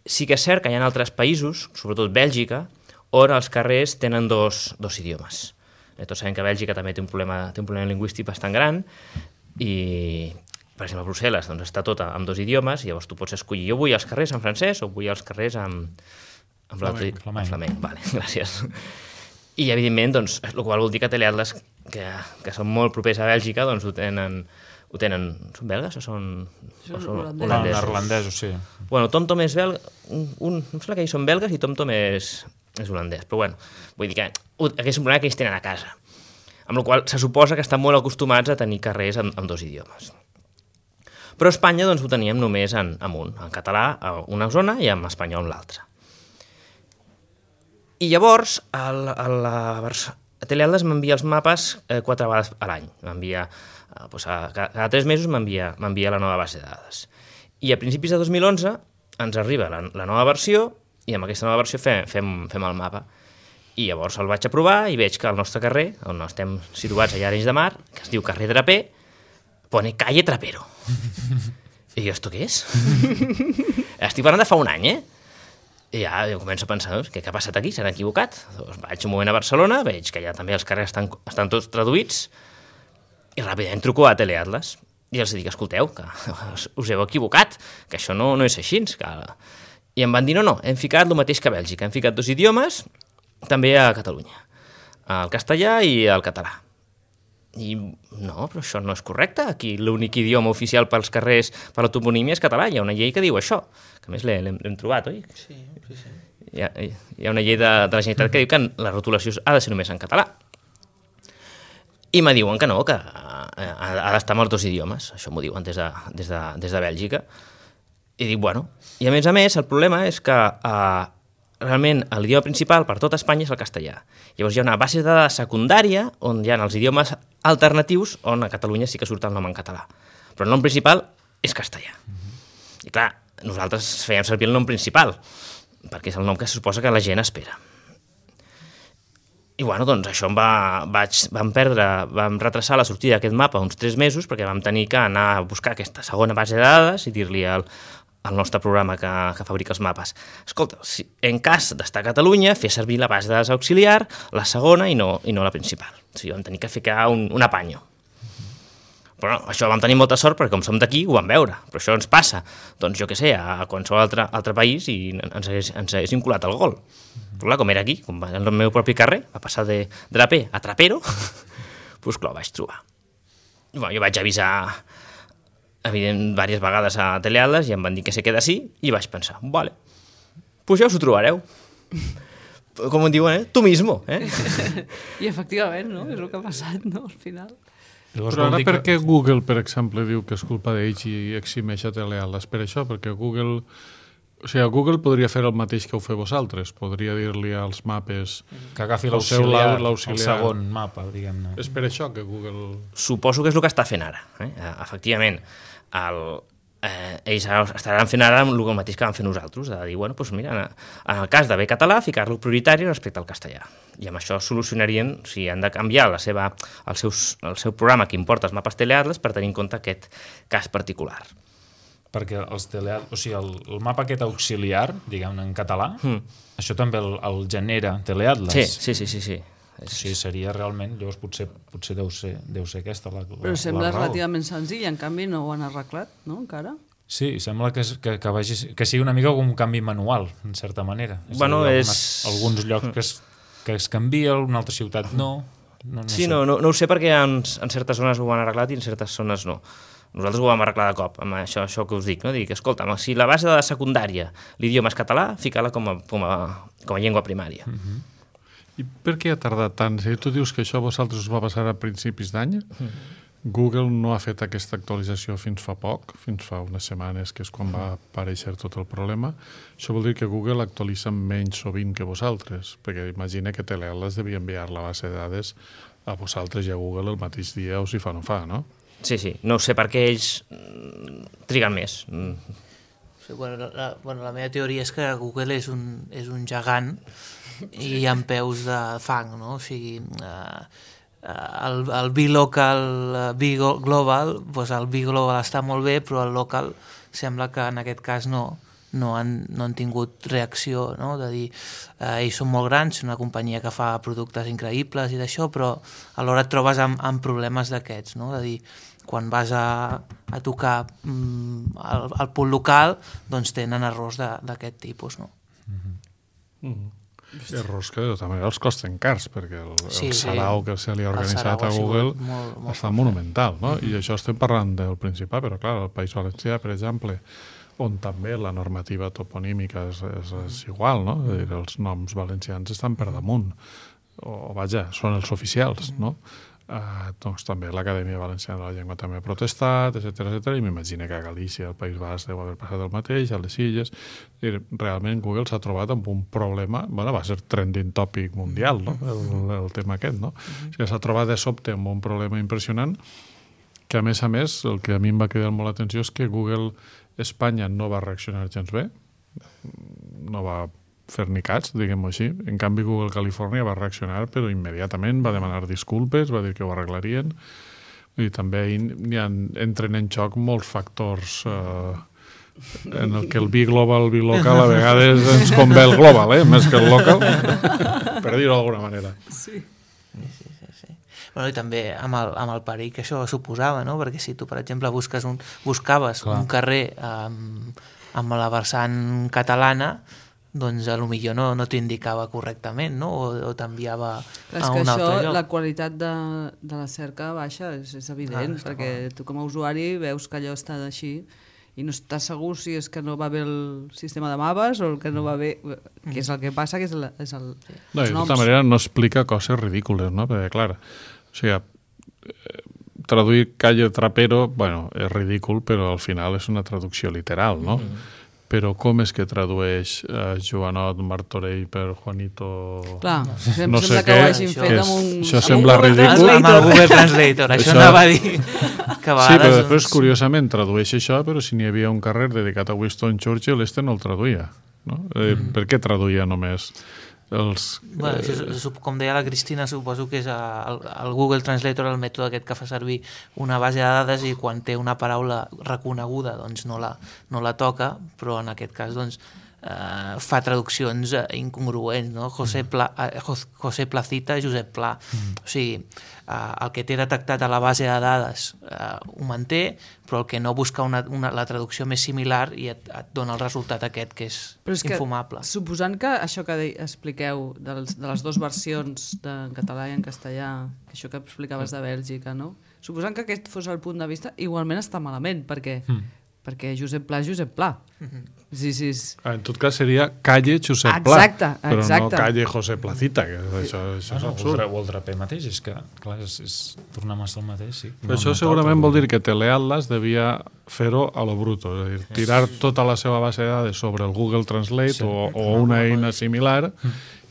sí que és cert que hi ha altres països, sobretot Bèlgica, on els carrers tenen dos, dos idiomes. Eh, tots sabem que Bèlgica també té un problema, té un problema lingüístic bastant gran i, per exemple, a Brussel·les doncs, està tot amb dos idiomes i llavors tu pots escollir jo vull els carrers en francès o vull els carrers en, en flamenc. flamenc. flamenc. Vale, gràcies. I, evidentment, doncs, el qual vol dir que Teleatlas, que, que són molt propers a Bèlgica, doncs ho tenen... Ho tenen... Són belgues o són, o són holandesos? No, neerlandesos, sí. Bueno, TomTom és belga... Un, un, em sembla que ells són belgues i TomTom és, és holandès. Però bueno, vull dir que aquest és un problema que ells tenen a casa. Amb la qual se suposa que estan molt acostumats a tenir carrers amb, amb dos idiomes. Però a Espanya doncs, ho teníem només en, en un, en català a una zona i en espanyol en l'altra. I llavors, el, el, a Teleatlas m'envia els mapes eh, quatre vegades a l'any. M'envia... Pues a, cada tres mesos m'envia la nova base de dades. I a principis de dos mil onze ens arriba la, la nova versió i amb aquesta nova versió fem, fem, fem el mapa. I llavors el vaig aprovar i veig que el nostre carrer, on estem situats allà a Arenys de Mar, que es diu carrer Draper, pone calle Trapero. I jo, esto què és? Estic parlant de fa un any, eh? I ja jo començo a pensar, què, què ha passat aquí? S'han equivocat? Doncs vaig un moment a Barcelona, veig que ja també els carrers estan, estan tots traduïts, i ràpidament truco a Teleatlas i els dic, escolteu, que us heu equivocat, que això no, no és així. Que... I em van dir, no, no, hem ficat el mateix que a Bèlgica, hem ficat dos idiomes, també a Catalunya, el castellà i el català. I no, però això no és correcte, aquí l'únic idioma oficial pels carrers, per la toponímia és català, hi ha una llei que diu això, que a més l'hem trobat, oi? Sí, sí, sí. Hi ha, hi ha una llei de, de la Generalitat que diu que la rotulació ha de ser només en català. I me diuen que no, que ha d'estar amb els dos idiomes. Això m'ho diuen des de, des, de, des de Bèlgica. I dic, bueno... I a més a més, el problema és que eh, realment l'idioma principal per tot Espanya és el castellà. Llavors hi ha una base de dades secundària on hi ha els idiomes alternatius on a Catalunya sí que surt el nom en català. Però el nom principal és castellà. Mm-hmm. I clar, nosaltres fèiem servir el nom principal, perquè és el nom que se suposa que la gent espera. I bueno, doncs això em va, vaig, vam perdre, vam retrasar la sortida d'aquest mapa uns tres mesos perquè vam tenir que anar a buscar aquesta segona base de dades i dir-li al, al nostre programa que, que fabrica els mapes, escolta, si, en cas d'estar a Catalunya, fer servir la base de dades auxiliar, la segona i no, i no la principal. O sigui, vam tenir que ficar un, un apanyo. Però no, això vam tenir molta sort perquè com som d'aquí ho vam veure, però això ens passa, doncs jo què sé, a qualsevol altre, altre país i ens hagués, ens hagués vinculat al gol. Però clar, com era aquí, com va en el meu propi carrer, va passar de Draper a Trapero, doncs clar, ho vaig trobar. I, bueno, jo vaig avisar evident, diverses vegades a Teleatlas i em van dir que se queda així i vaig pensar, vale, doncs ja us ho trobareu. Com em diuen, eh? Tu mismo, eh? I efectivament, no? És el que ha passat, no? Al final. Llavors, però ara per què que... Google, per exemple, diu que és culpa d'ells i eximeix a Teleatlas? Per això, perquè Google... O sigui, Google podria fer el mateix que ho feu vosaltres. Podria dir-li als mapes... Que agafi l'auxiliar, el segon mapa, diguem-ne. És per això que Google... Suposo que és el que està fent ara. Eh? Efectivament, el, eh, ells estaran fent ara el mateix que van fer nosaltres, de dir, bueno, doncs mira, en el cas d'haver català, ficar-lo prioritari respecte al castellà. I amb això solucionarien, o sigui, han de canviar la seva, el, seus, el seu programa que importa els mapes Teleatlas per tenir en compte aquest cas particular. Perquè els teleat... o sigui, el, el mapa aquest auxiliar, diguem-ne en català, mm. això també el, el genera Teleatlas. Sí, sí, sí, sí, sí. O sigui, seria realment, llavors potser, potser deu, ser, deu ser aquesta la, la, Però sembla la raó. relativament senzill, en canvi no ho han arreglat, no, encara? Sí, sembla que, que, que, vagi, que sigui una mica com un canvi manual, en certa manera. És bueno, dir, és... Alguns llocs que es, que es canvia, una altra ciutat no. no, no sí, sé. no, no, no ho sé perquè en, en certes zones ho han arreglat i en certes zones no. Nosaltres ho vam arreglar de cop, amb això, això que us dic, no? Dic, escolta, si la base de la secundària l'idioma és català, fica-la com a, com a, com a llengua primària. Uh-huh. I per què ha tardat tant? Si tu dius que això a vosaltres us va passar a principis d'any, uh-huh. Google no ha fet aquesta actualització fins fa poc, fins fa unes setmanes, que és quan va aparèixer tot el problema. Això vol dir que Google actualitza menys sovint que vosaltres, perquè imagina que Teleatlas devia enviar la base de dades a vosaltres i a Google el mateix dia o si fa no fa, no? Sí, sí, no sé per què ells triguen més. Sí, bueno, la, bueno, la meva teoria és que Google és un, és un gegant i hi ha peus de fang, no? O sigui, eh, el, el B-Local, B-Global, doncs el B-Global està molt bé, però el local sembla que en aquest cas no, no han, no han tingut reacció, no? De dir, eh, ells són molt grans, són una companyia que fa productes increïbles i d'això, però alhora et trobes amb, amb problemes d'aquests, no? De dir, quan vas a, a tocar mm, al, al punt local, doncs tenen errors d'aquest tipus, no? Mm-hmm. Mm-hmm. Errors que de tota manera els costen cars, perquè el, sí, el sarau sí. que se li ha organitzat a Google molt, molt està monumental, no? Mm-hmm. I això estem parlant del Principat, però clar, el País Valencià, per exemple, on també la normativa toponímica és, és, és igual, no? És a dir, els noms valencians estan per damunt, o vaja, són els oficials, no? Uh, doncs també l'Acadèmia Valenciana de la Llengua també ha protestat, etcètera, etcètera, i m'imagino que a Galícia, al País Basc, deu haver passat el mateix, a les Illes. I realment Google s'ha trobat amb un problema, bueno, va ser trending topic mundial, no? el, el tema aquest, no? Uh-huh. O sigui, s'ha trobat de sobte amb un problema impressionant, que a més a més, el que a mi em va cridar molt l'atenció és que Google Espanya no va reaccionar gens bé, no va fer ni cats, diguem-ho així. En canvi, Google Califòrnia va reaccionar, però immediatament va demanar disculpes, va dir que ho arreglarien, i també hi ha, entren en xoc molts factors eh, en el que el be global, be local, a vegades ens convé el global, eh? Més que el local, per dir-ho d'alguna manera. Sí. Sí, sí, sí. Bueno, i també amb el, amb el perill que això suposava, no? Perquè si tu, per exemple, busques un, buscaves Clar. un carrer amb, amb la versant catalana, doncs a lo millor no, no t'indicava correctament, no? O, o t'enviava a un altre això, lloc. La qualitat de, de la cerca baixa és, és evident, ah, perquè clar. Tu com a usuari veus que allò està així i no estàs segur si és que no va bé el sistema de mapes o el que no va bé, que és el que passa, que és, la, és el, no, els noms. De tota manera no explica coses ridícules, no? Perquè, clar, o sigui, traduir calle trapero, bueno, és ridícul, però al final és una traducció literal, no? Mm. Però com és que tradueix uh, Joanot Martorell per Juanito... Clar, no sembla sé que què, ho hagin fet és, amb un... això amb sembla un ridícul. Amb el Google Translator, això, això anava a dir. Que a vegades, sí, però després, doncs... curiosament, tradueix això, però si n'hi havia un carrer dedicat a Winston Churchill, este no el traduïa. No? Eh, mm. Per què traduïa només els... Bueno, això, com deia la Cristina, suposo que és el, el Google Translator, el mètode aquest que fa servir una base de dades i quan té una paraula reconeguda doncs no la, no la toca, però en aquest cas doncs, eh, fa traduccions incongruents, no? José, Pla, eh, José Placita, Josep Pla. Mm. O sigui, eh, el que té detectat a la base de dades eh, ho manté, però el que no busca una, una, la traducció més similar i et, et dona el resultat aquest que és, és infumable. Que, suposant que això que de, expliqueu dels, de les dues versions de, en català i en castellà, això que explicaves de Bèlgica, no? Suposant que aquest fos el punt de vista, igualment està malament, perquè... Mm. perquè Josep Pla és Josep Pla. Mm-hmm. Sí, sí, sí. En tot cas seria calle Josep Pla, exacte, però exacte. no calle José Placita, que això, això ah, no, és absurd. O el draper mateix, és que clar, és, és tornar massa el mateix. Sí. Però no, això no segurament vol dir que Teleatlas devia fer-ho a lo bruto, és a dir, tirar tota la seva base de dades sobre el Google Translate sí. o, o una eina similar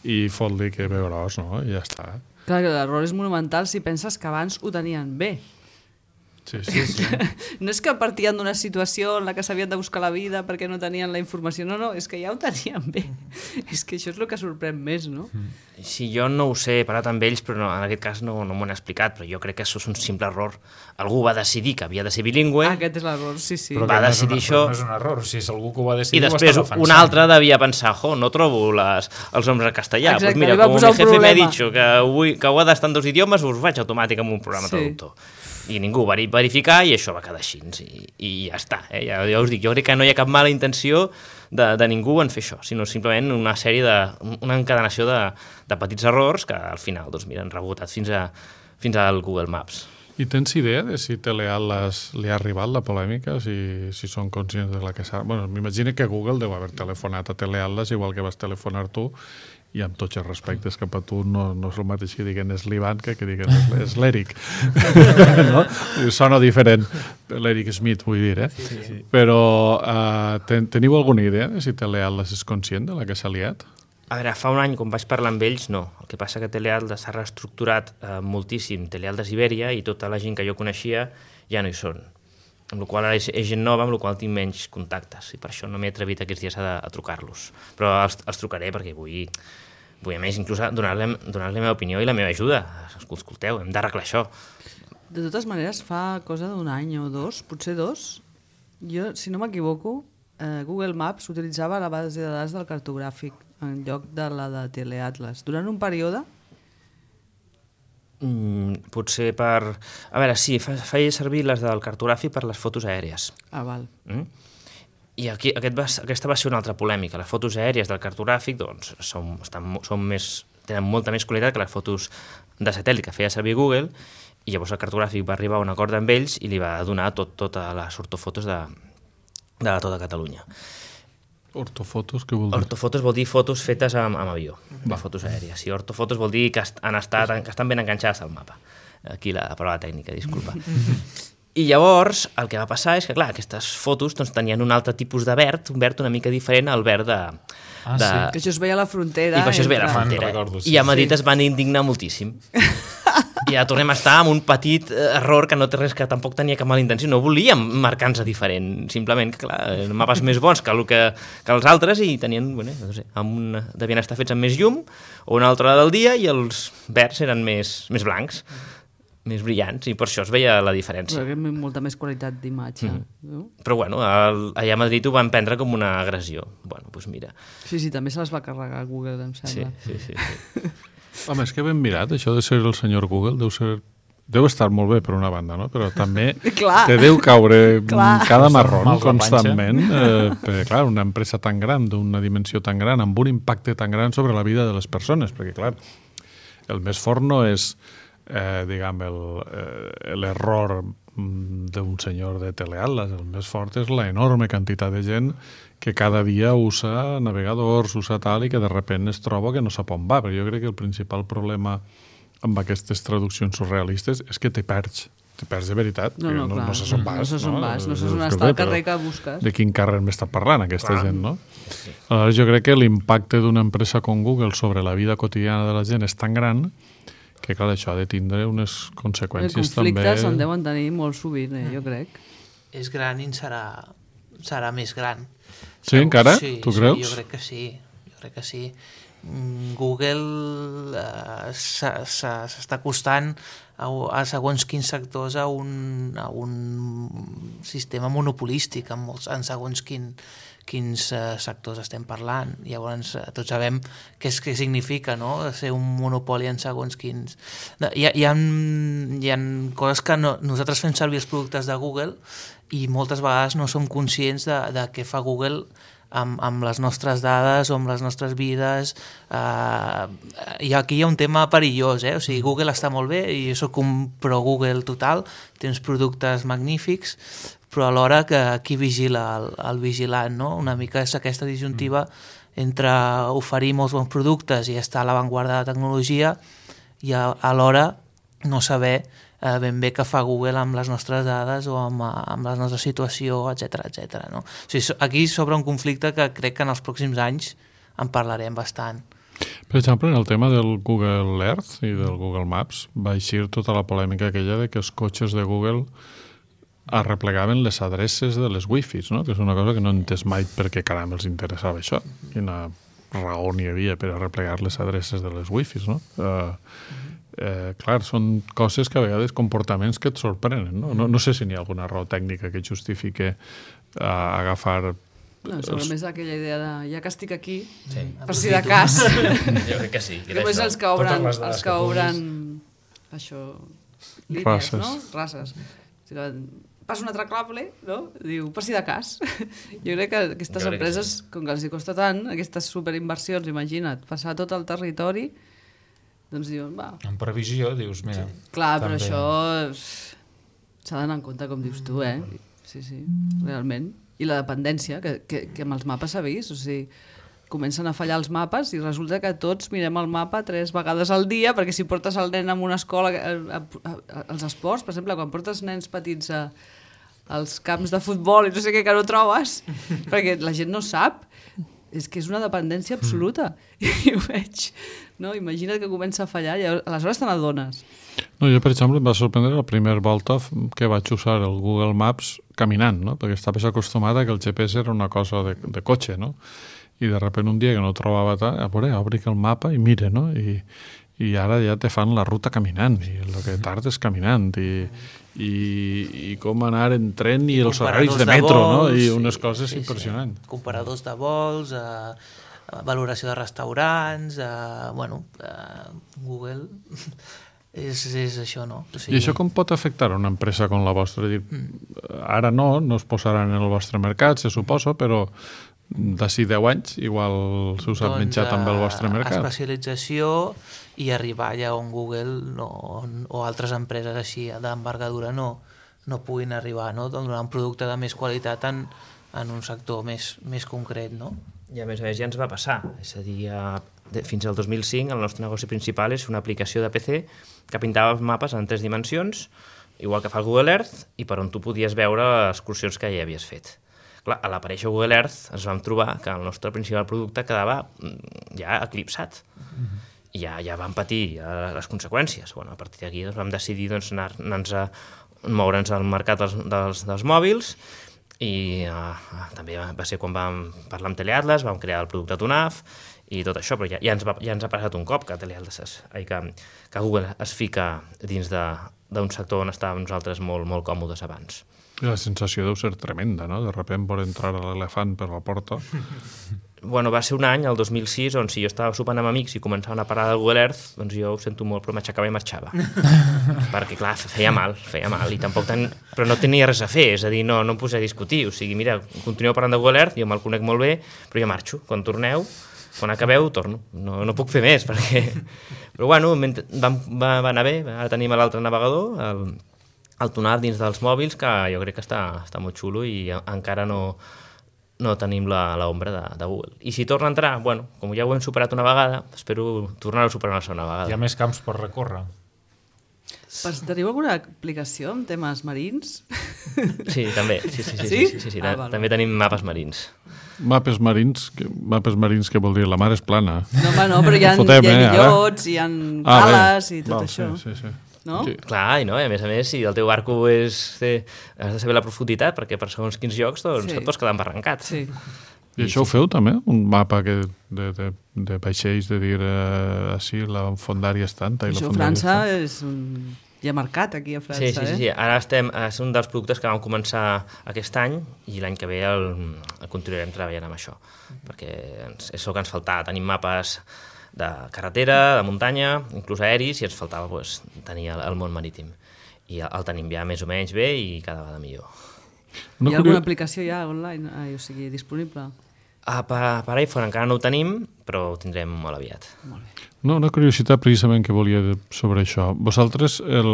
i fot-li que veuràs, no? I ja està. Clar, que l'error és monumental si penses que abans ho tenien bé. Sí, sí, sí. No és que partien d'una situació en la que s'havien de buscar la vida perquè no tenien la informació, no, no, és que ja ho tenien bé. És que això és el que sorprèn més, no? Sí, jo no ho sé, he parlat amb ells, però no, en aquest cas no, no m'ho han explicat, però jo crec que això és un simple error. Algú va decidir que havia de ser bilingüe... Ah, aquest és l'error, sí, sí. Però va decidir no això... no és un error, si és algú que ho va decidir... I després un altre devia pensar, jo, no trobo les, els noms en castellà. Exacte, pues mira, com mi jefe m'ha dit que, vull, que ho ha d'estar en dos idiomes, us faig automàtic amb un programa sí. traductor. I ningú va verificar i això va quedar així i, i ja està, eh? ja, ja us dic, jo crec que no hi ha cap mala intenció de, de ningú en fer això, sinó simplement una sèrie de, una encadenació de, de petits errors que al final doncs mira, han rebotat fins, a, fins al Google Maps. I tens idea de si Teleatlas li ha arribat la polèmica, si, si són conscients de la que s'ha... Bueno, m'imagino que Google deu haver telefonat a Teleatlas igual que vas telefonar tu i amb tots els respectes cap a tu no, no és el mateix que diguen és l'Ivan que que diguen és l'Eric. No? Sona diferent. L'Eric Smith, vull dir, eh? Sí, sí, sí. Però uh, ten, teniu alguna idea de si Teleatlas és conscient de la que s'ha liat? A veure, fa un any, quan vaig parlar amb ells, no. El que passa que Teleatlas s'ha reestructurat eh, moltíssim, Teleatlas Ibèria, i tota la gent que jo coneixia ja no hi són. Amb la qual ara és, és gent nova, amb la qual tinc menys contactes, i per això no m'he atrevit aquests dies a, a trucar-los. Però els, els trucaré perquè vull, vull a més, inclús donar-li donar la meva opinió i la meva ajuda. Escolteu, hem d'arreglar això. De totes maneres, fa cosa d'un any o dos, potser dos, jo, si no m'equivoco, eh, Google Maps utilitzava la base de dades del cartogràfic en lloc de la de Teleatlas. Durant un període... Mm, potser per... A veure, sí, fa, feia servir les del cartogràfic per les fotos aèries. Ah, val. Mm? I aquí, aquest va, aquesta va ser una altra polèmica. Les fotos aèries del cartogràfic doncs, són, estan, són més, tenen molta més qualitat que les fotos de satèl·lit que feia servir Google, i llavors el cartogràfic va arribar a un acord amb ells i li va donar tot, tota les ortofotos de, de tota Catalunya. Ortofotos, què vol dir? Ortofotos vol dir fotos fetes amb, amb avió, de fotos aèries. I ortofotos vol dir que, han estat, que estan ben enganxades al mapa. Aquí la paraula tècnica, disculpa. I llavors el que va passar és que, clar, aquestes fotos doncs, tenien un altre tipus de verd, un verd una mica diferent al verd de... Ah, de... sí. Que això es veia a la frontera. I que això es veia a la entre... frontera. recordo, sí. I a Madrid sí. es van indignar moltíssim. I ja tornem a estar amb un petit error que no té res, que tampoc tenia cap mala intenció. No volíem marcar-nos diferent, simplement que, clar, mapes més bons que, el que, que els altres i tenien, bueno, no sé, amb una, devien estar fets amb més llum o una altra del dia i els verds eren més, més blancs, més brillants, i per això es veia la diferència. Però molta més qualitat d'imatge. Mm. No? Però bueno, el, allà a Madrid ho van prendre com una agressió. Bueno, doncs pues mira. Sí, sí, també se les va carregar Google, em Sí, sembla. sí, sí. sí. Home, és que ben mirat, això de ser el senyor Google deu ser... Deu estar molt bé per una banda, no? Però també Clar. te deu caure Clar. cada marrón Mal la constantment. Eh, perquè, clar, una empresa tan gran, d'una dimensió tan gran, amb un impacte tan gran sobre la vida de les persones, perquè, clar, el més fort no és, eh, diguem, el, eh, l'error d'un senyor de Teleatlas. El més fort és la enorme quantitat de gent que cada dia usa navegadors, usa tal, i que de repente es troba que no sap on va. Però jo crec que el principal problema amb aquestes traduccions surrealistes és que te perds. Te perds de veritat. No, no, no, clar. no saps on vas. No saps on vas, no saps on Escolta, està el però carrer que busques. De quin carrer m'està parlant aquesta clar. gent, no? Aleshores, jo crec que l'impacte d'una empresa com Google sobre la vida quotidiana de la gent és tan gran que, clar, això ha de tindre unes conseqüències també... Els conflictes se'n deuen tenir molt sovint, eh, jo crec. És gran i en serà, serà més gran. Sí, Segur, encara? Sí, Tu sí, creus? Jo crec que sí. Jo crec que sí. Google eh, s'està acostant a, a segons quins sectors a un, a un sistema monopolístic en, molts, en segons quin, quins uh, sectors estem parlant. Llavors uh, tots sabem què, és, què significa, no? Ser un monopoli en segons quins... Hi ha, hi ha, hi ha coses que no, nosaltres fem servir els productes de Google i moltes vegades no som conscients de, de què fa Google amb, amb les nostres dades o amb les nostres vides. Uh, i aquí hi ha un tema perillós, eh? O sigui, Google està molt bé i jo soc un pro Google total, té uns productes magnífics, però alhora que qui vigila el, el vigilant, no? Una mica és aquesta disjuntiva entre oferir molts bons productes i estar a l'avantguarda de la tecnologia i a, alhora no saber eh, ben bé què fa Google amb les nostres dades o amb, amb la nostra situació, etcètera, etcètera, no? O sigui, aquí s'obre un conflicte que crec que en els pròxims anys en parlarem bastant. Per exemple, en el tema del Google Earth i del Google Maps va eixir tota la polèmica aquella de que els cotxes de Google arreplegaven les adreces de les wifis, no? Que és una cosa que no he entès mai per què caram els interessava això. Quina raó n'hi havia per arreplegar les adreces de les wifis, no? Uh, eh, clar, són coses que a vegades, comportaments que et sorprenen, no? No, no sé si n'hi ha alguna raó tècnica que justifique uh, agafar... No, sobre més aquella idea de ja que estic aquí, Sí. per si de cas. Jo crec que sí. que era Només això. els que obren, Totes les dades els que que obren això, línies, Races. no? Races. O sigui, passa un altre clable, no? Diu, per si de cas. Jo crec que aquestes Jo crec que empreses, com que els hi costa tant, aquestes superinversions, imagina't, passar tot el territori, doncs diuen, va. En previsió, dius, mira... Clar, però també- això s'ha d'anar en compte, com dius tu, eh? Sí, sí, realment. I la dependència, que, que, que amb els mapes s'ha vist, o sigui, comencen a fallar els mapes i resulta que tots mirem el mapa tres vegades al dia, perquè si portes el nen a una escola, a, a, a, als esports, per exemple, quan portes nens petits a, als camps de futbol i no sé què, que no trobes, perquè la gent no sap, és que és una dependència absoluta. I ho veig, no? Imagina't que comença a fallar i aleshores te n'adones. No, jo, per exemple, em va sorprendre la primera volta que vaig usar el Google Maps caminant, no? Perquè estava acostumat a que el G P S era una cosa de, de cotxe, no? I de sobte un dia que no trobava tal, a veure, obric el mapa i mire, no? I, i ara ja te fan la ruta caminant, i el que tardes caminant, i, i, i com anar en tren i, I els horaris de metro, de vols, no? I unes sí, coses sí, impressionants. Sí. Comparadors de vols, eh, valoració de restaurants, eh, bueno, eh, Google... És, és això, no? O sigui... I això com pot afectar una empresa com la vostra? Dir, mm. Ara no, no es posaran en el vostre mercat, se suposa, però d'ací deu anys igual se us ha doncs, menjat també el vostre mercat. Especialització i arribar allà on Google no, o altres empreses així d'envergadura no, no puguin arribar, no? Donar un producte de més qualitat en, en un sector més, més concret, no? I a més a més ja ens va passar, és a dir, a, de, fins al dos mil cinc el nostre negoci principal és una aplicació de P C que pintava els mapes en tres dimensions, igual que fa el Google Earth, i per on tu podies veure les excursions que ja havies fet. Clar, a l'aparèixer Google Earth ens vam trobar que el nostre principal producte quedava ja eclipsat. Mm-hmm. I ja, ja vam patir ja les conseqüències. Bueno, a partir d'aquí doncs, vam decidir doncs, anar, anar-nos a moure'ns al mercat dels, dels, dels mòbils, i uh, també va ser quan vam parlar amb Teleatlas, vam crear el producte Tunaf i tot això, però ja, ja, ens, va, ja ens ha passat un cop que Teleatlas es, ai, que, que Google es fica dins d'un sector on estàvem nosaltres molt, molt còmodes abans. I la sensació deu ser tremenda, no? De sobte por entrar l'elefant per la porta. Bueno, va ser un any, el dos mil sis, on si jo estava sopant amb amics i començaven a parlar del Google Earth, doncs jo ho sento molt, però m'aixecava i marxava. Perquè, clar, feia mal, feia mal, i tampoc ten... però no tenia res a fer, és a dir, no, no em posé a discutir, o sigui, mira, continueu parlant de Google Earth, jo me'l conec molt bé, però jo marxo, quan torneu, quan acabeu, torno, no, no puc fer més, perquè... Però, bueno, va, va anar bé, ara tenim l'altre navegador, el, el Tunaf dins dels mòbils, que jo crec que està, està molt xulo i encara no... no tenim l'ombra de, de Google. I si torna a entrar, bueno, com ja ho hem superat una vegada, espero tornar-ho a superar una segona vegada. Hi ha més camps per recórrer. Teniu alguna aplicació amb temes marins? Sí, també. Sí, sí, sí, sí, sí? sí, sí, sí. Ah, val. També tenim mapes marins. Mapes marins, que, mapes marins que vol dir la mar és plana. No, home, no, però hi ha, Fotem, hi ha eh, illots, hi ha ah, cales i tot val, això. Sí, sí, sí. No? Sí. Clar, i no? I a més a més, si el teu barco és... Té, has de saber la profunditat, perquè per segons quins llocs doncs, sí. et pots quedar embarrancat. Sí. I això ho feu també? Un mapa que de, de, de vaixells, de dir eh, així, la fondària és tanta i això la a França és un... ja marcat aquí a França, sí, sí, sí, sí. eh? Ara estem, és un dels productes que vam començar aquest any i l'any que ve el, el continuarem treballant amb això, perquè ens, és el que ens faltava, tenim mapes de carretera, de muntanya, inclús aeris, i ens faltava pues, tenir el, el món marítim. I el, el tenim ja més o menys bé i cada vegada millor. Hi ha alguna aplicació ja online, eh, o sigui, disponible? Ah, per, per iPhone encara no ho tenim, però ho tindrem molt aviat. Molt bé. No, una curiositat precisament que volia sobre això. Vosaltres el,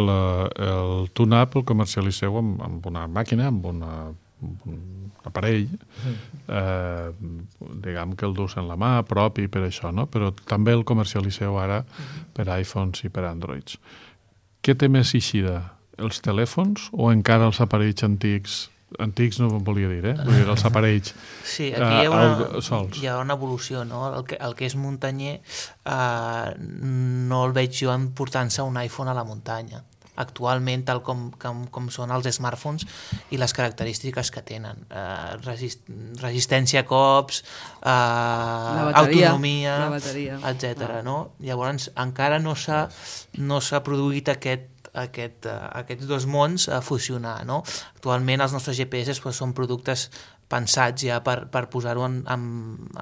el Tunaf el comercialiceu amb, amb una màquina, amb una un aparell, eh, diguem que el dus en la mà, propi per això, no? Però també el comercialiceu ara per iPhones i per Androids. Què té més eixida? Els telèfons o encara els aparells antics? Antics no volia dir, eh? Vull dir, els aparells sí, aquí hi ha una, eh, sols. Hi ha una evolució, no? El que, el que és muntanyer eh, no el veig jo emportant-se un iPhone a la muntanya. Actualment, tal com, com, com són els smartphones i les característiques que tenen. Eh, resist, resistència a cops, eh, bateria, autonomia, etcètera. Ah. No? Llavors, encara no s'ha no s'ha produït aquest Aquest, uh, aquests dos mons a fusionar, no? Actualment els nostres G P S pues, són productes pensats ja per, per posar-ho en, en,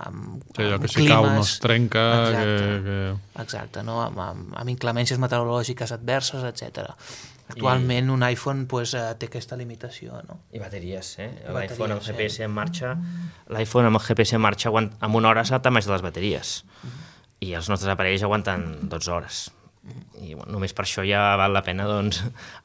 en, sí, allò en que climes... si cau no es trenca... Exacte, que, que... exacte no? amb, amb, amb inclemències meteorològiques adverses, etcètera. Actualment I... un iPhone pues, uh, té aquesta limitació. No? I bateries, eh? L'iPhone amb el G P S en marxa, l'iPhone amb el G P S en marxa aguant, en una hora s'ha més de les bateries. Mm-hmm. I els nostres aparells aguanten dotze hores. I bueno, només per això ja val la pena, doncs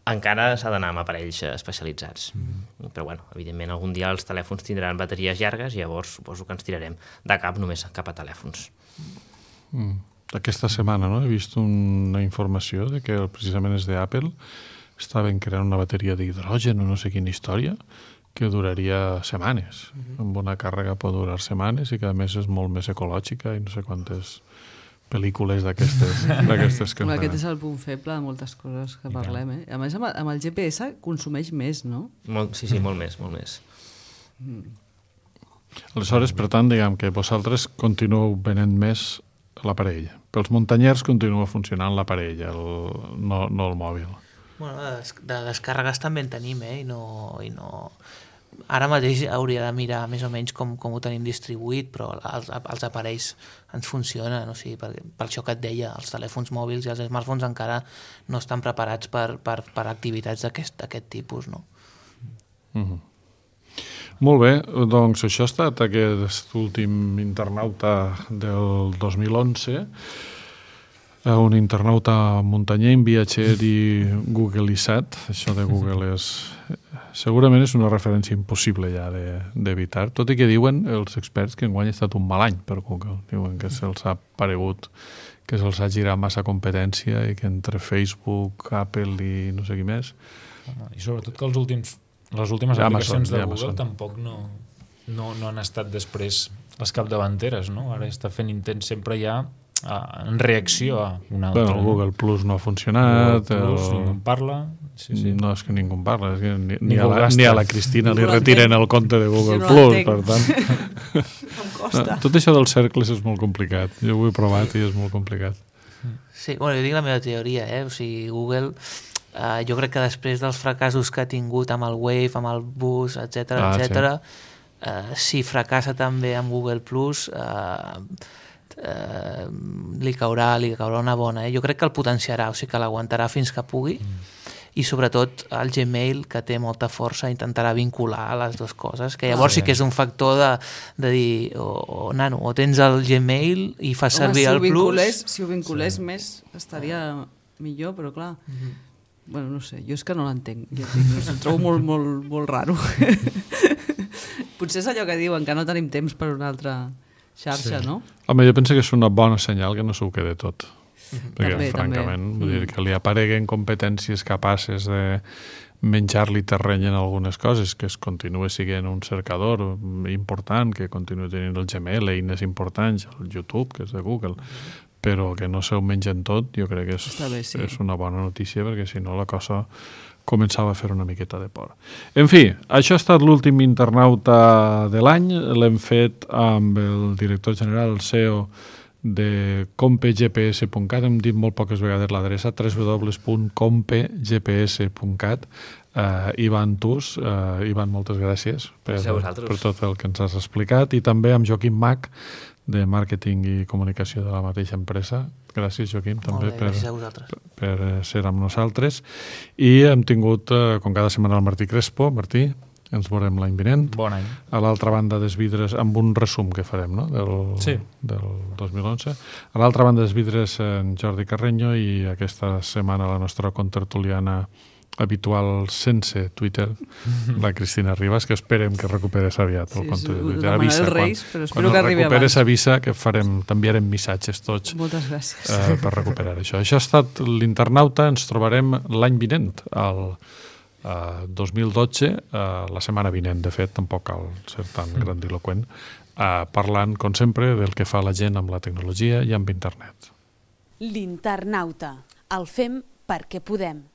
encara s'ha d'anar amb aparells especialitzats. Mm. Però bueno, evidentment algun dia els telèfons tindran bateries llargues i llavors suposo que ens tirarem de cap només cap a telèfons. Mm. Aquesta setmana no? He vist una informació de que precisament és d'Apple, estaven creant una bateria d'hidrogen o no sé quina història que duraria setmanes. Mm-hmm. Amb una càrrega pot durar setmanes i que a més és molt més ecològica i no sé quantes pel·lícules d'aquestes que en Aquest és el punt feble de moltes coses que parlem. Eh? A més, amb el, amb el G P S consumeix més, no? Molt, sí, sí, molt més, molt més. Mm. Aleshores, per tant, diguem que vosaltres continueu venent més l'aparell. Pels muntanyers continua funcionant l'aparell, el, no, no el mòbil. Bueno, de, des de descàrregues també en tenim, eh? I no, i no... Ara mateix hauria de mirar més o menys com, com ho tenim distribuït, però els, els aparells ens funcionen, o sigui, per, per això que et deia, els telèfons mòbils i els smartphones encara no estan preparats per, per, per activitats d'aquest tipus, no? Mm-hmm. Molt bé, doncs això ha estat aquest últim internauta del dos mil onze, un internauta muntanyer, viatger i googlitzat. Això de Google és... segurament és una referència impossible ja d'evitar, tot i que diuen els experts que enguany ha estat un mal any per Google. Diuen que se'ls ha paregut, que se'ls ha girat massa competència i que entre Facebook, Apple i no sé qui més... I sobretot que els últims... Les últimes ja aplicacions són, de ja Google tampoc no, no, no han estat després les capdavanteres, no? Ara està fent intents sempre ja a, en reacció a una altra. Bueno, Google Plus no ha funcionat. Google Plus, el... ningú en parla. Sí, sí. No, és que ningú en parla. És que ni, ni, Ningú a la, gasta. ni a la Cristina li retiren el compte de Google no Plus, l'entenc. per tant... Em costa. Tot això dels cercles és molt complicat. Jo ho he provat i és molt complicat. Sí, bueno, jo dic la meva teoria, eh? O sigui, Google... Uh, jo crec que després dels fracassos que ha tingut amb el Wave, amb el Bus, etcètera, ah, etcètera, sí. uh, si fracassa també amb Google Plus, uh, uh, li caurà, li caurà una bona. Eh? Jo crec que el potenciarà, o sigui que l'aguantarà fins que pugui, mm. i sobretot el Gmail, que té molta força, intentarà vincular les dues coses, que llavors ah, sí que és un factor de, de dir, o, o, nano, o tens el Gmail i fas Home, servir si el Plus... Si ho vinculés sí. més estaria millor, però clar... Mm-hmm. Bueno, no sé, jo és que no l'entenc. Jo dic, no, trobo molt, molt, molt raro. Potser és allò que diuen, que no tenim temps per una altra xarxa, sí. no? Home, jo penso que és una bona senyal que no s'ho quede tot. Mm-hmm. Perquè, també, francament, també. vull dir que li apareguen competències capaces de menjar-li terreny en algunes coses, que es continua sent un cercador important, que continua tenint el Gmail, eines importants, el YouTube, que és de Google, però que no se'l mengen tot, jo crec que és, bé, sí. és una bona notícia, perquè si no la cosa començava a fer una miqueta de por. En fi, això ha estat l'últim internauta de l'any, l'hem fet amb el director general, el C E O de compegps punt cat, hem dit molt poques vegades l'adreça, w w w punt compegps punt cat. Uh, Ivan Tus, uh, Ivan, moltes gràcies per, per tot el que ens has explicat, i també amb Joaquim Mach, de màrqueting i comunicació de la mateixa empresa. Gràcies, Joaquim, també bé, per, per, per ser amb nosaltres. I hem tingut, uh, com cada setmana, el Martí Crespo. Martí, ens veurem l'any vinent. Bon any. A l'altra banda dels vidres, amb un resum que farem, no?, del, sí. del dos mil onze. A l'altra banda dels vidres, en Jordi Carreño, i aquesta setmana la nostra contertuliana habitual sense Twitter, la Cristina Ribas, que esperem que recuperes aviat el sí, compte sí, de Twitter. Avisa, quan, Reis, però espero quan que arribi recuperes abans. avisa que farem, t'enviarem missatges tots. Moltes gràcies. Eh, per recuperar això. Això ha estat l'internauta, ens trobarem l'any vinent, el uh, dos mil dotze, uh, la setmana vinent, de fet, tampoc cal ser tan grandiloquent, uh, parlant, com sempre, del que fa la gent amb la tecnologia i amb internet. L'internauta. El fem perquè podem.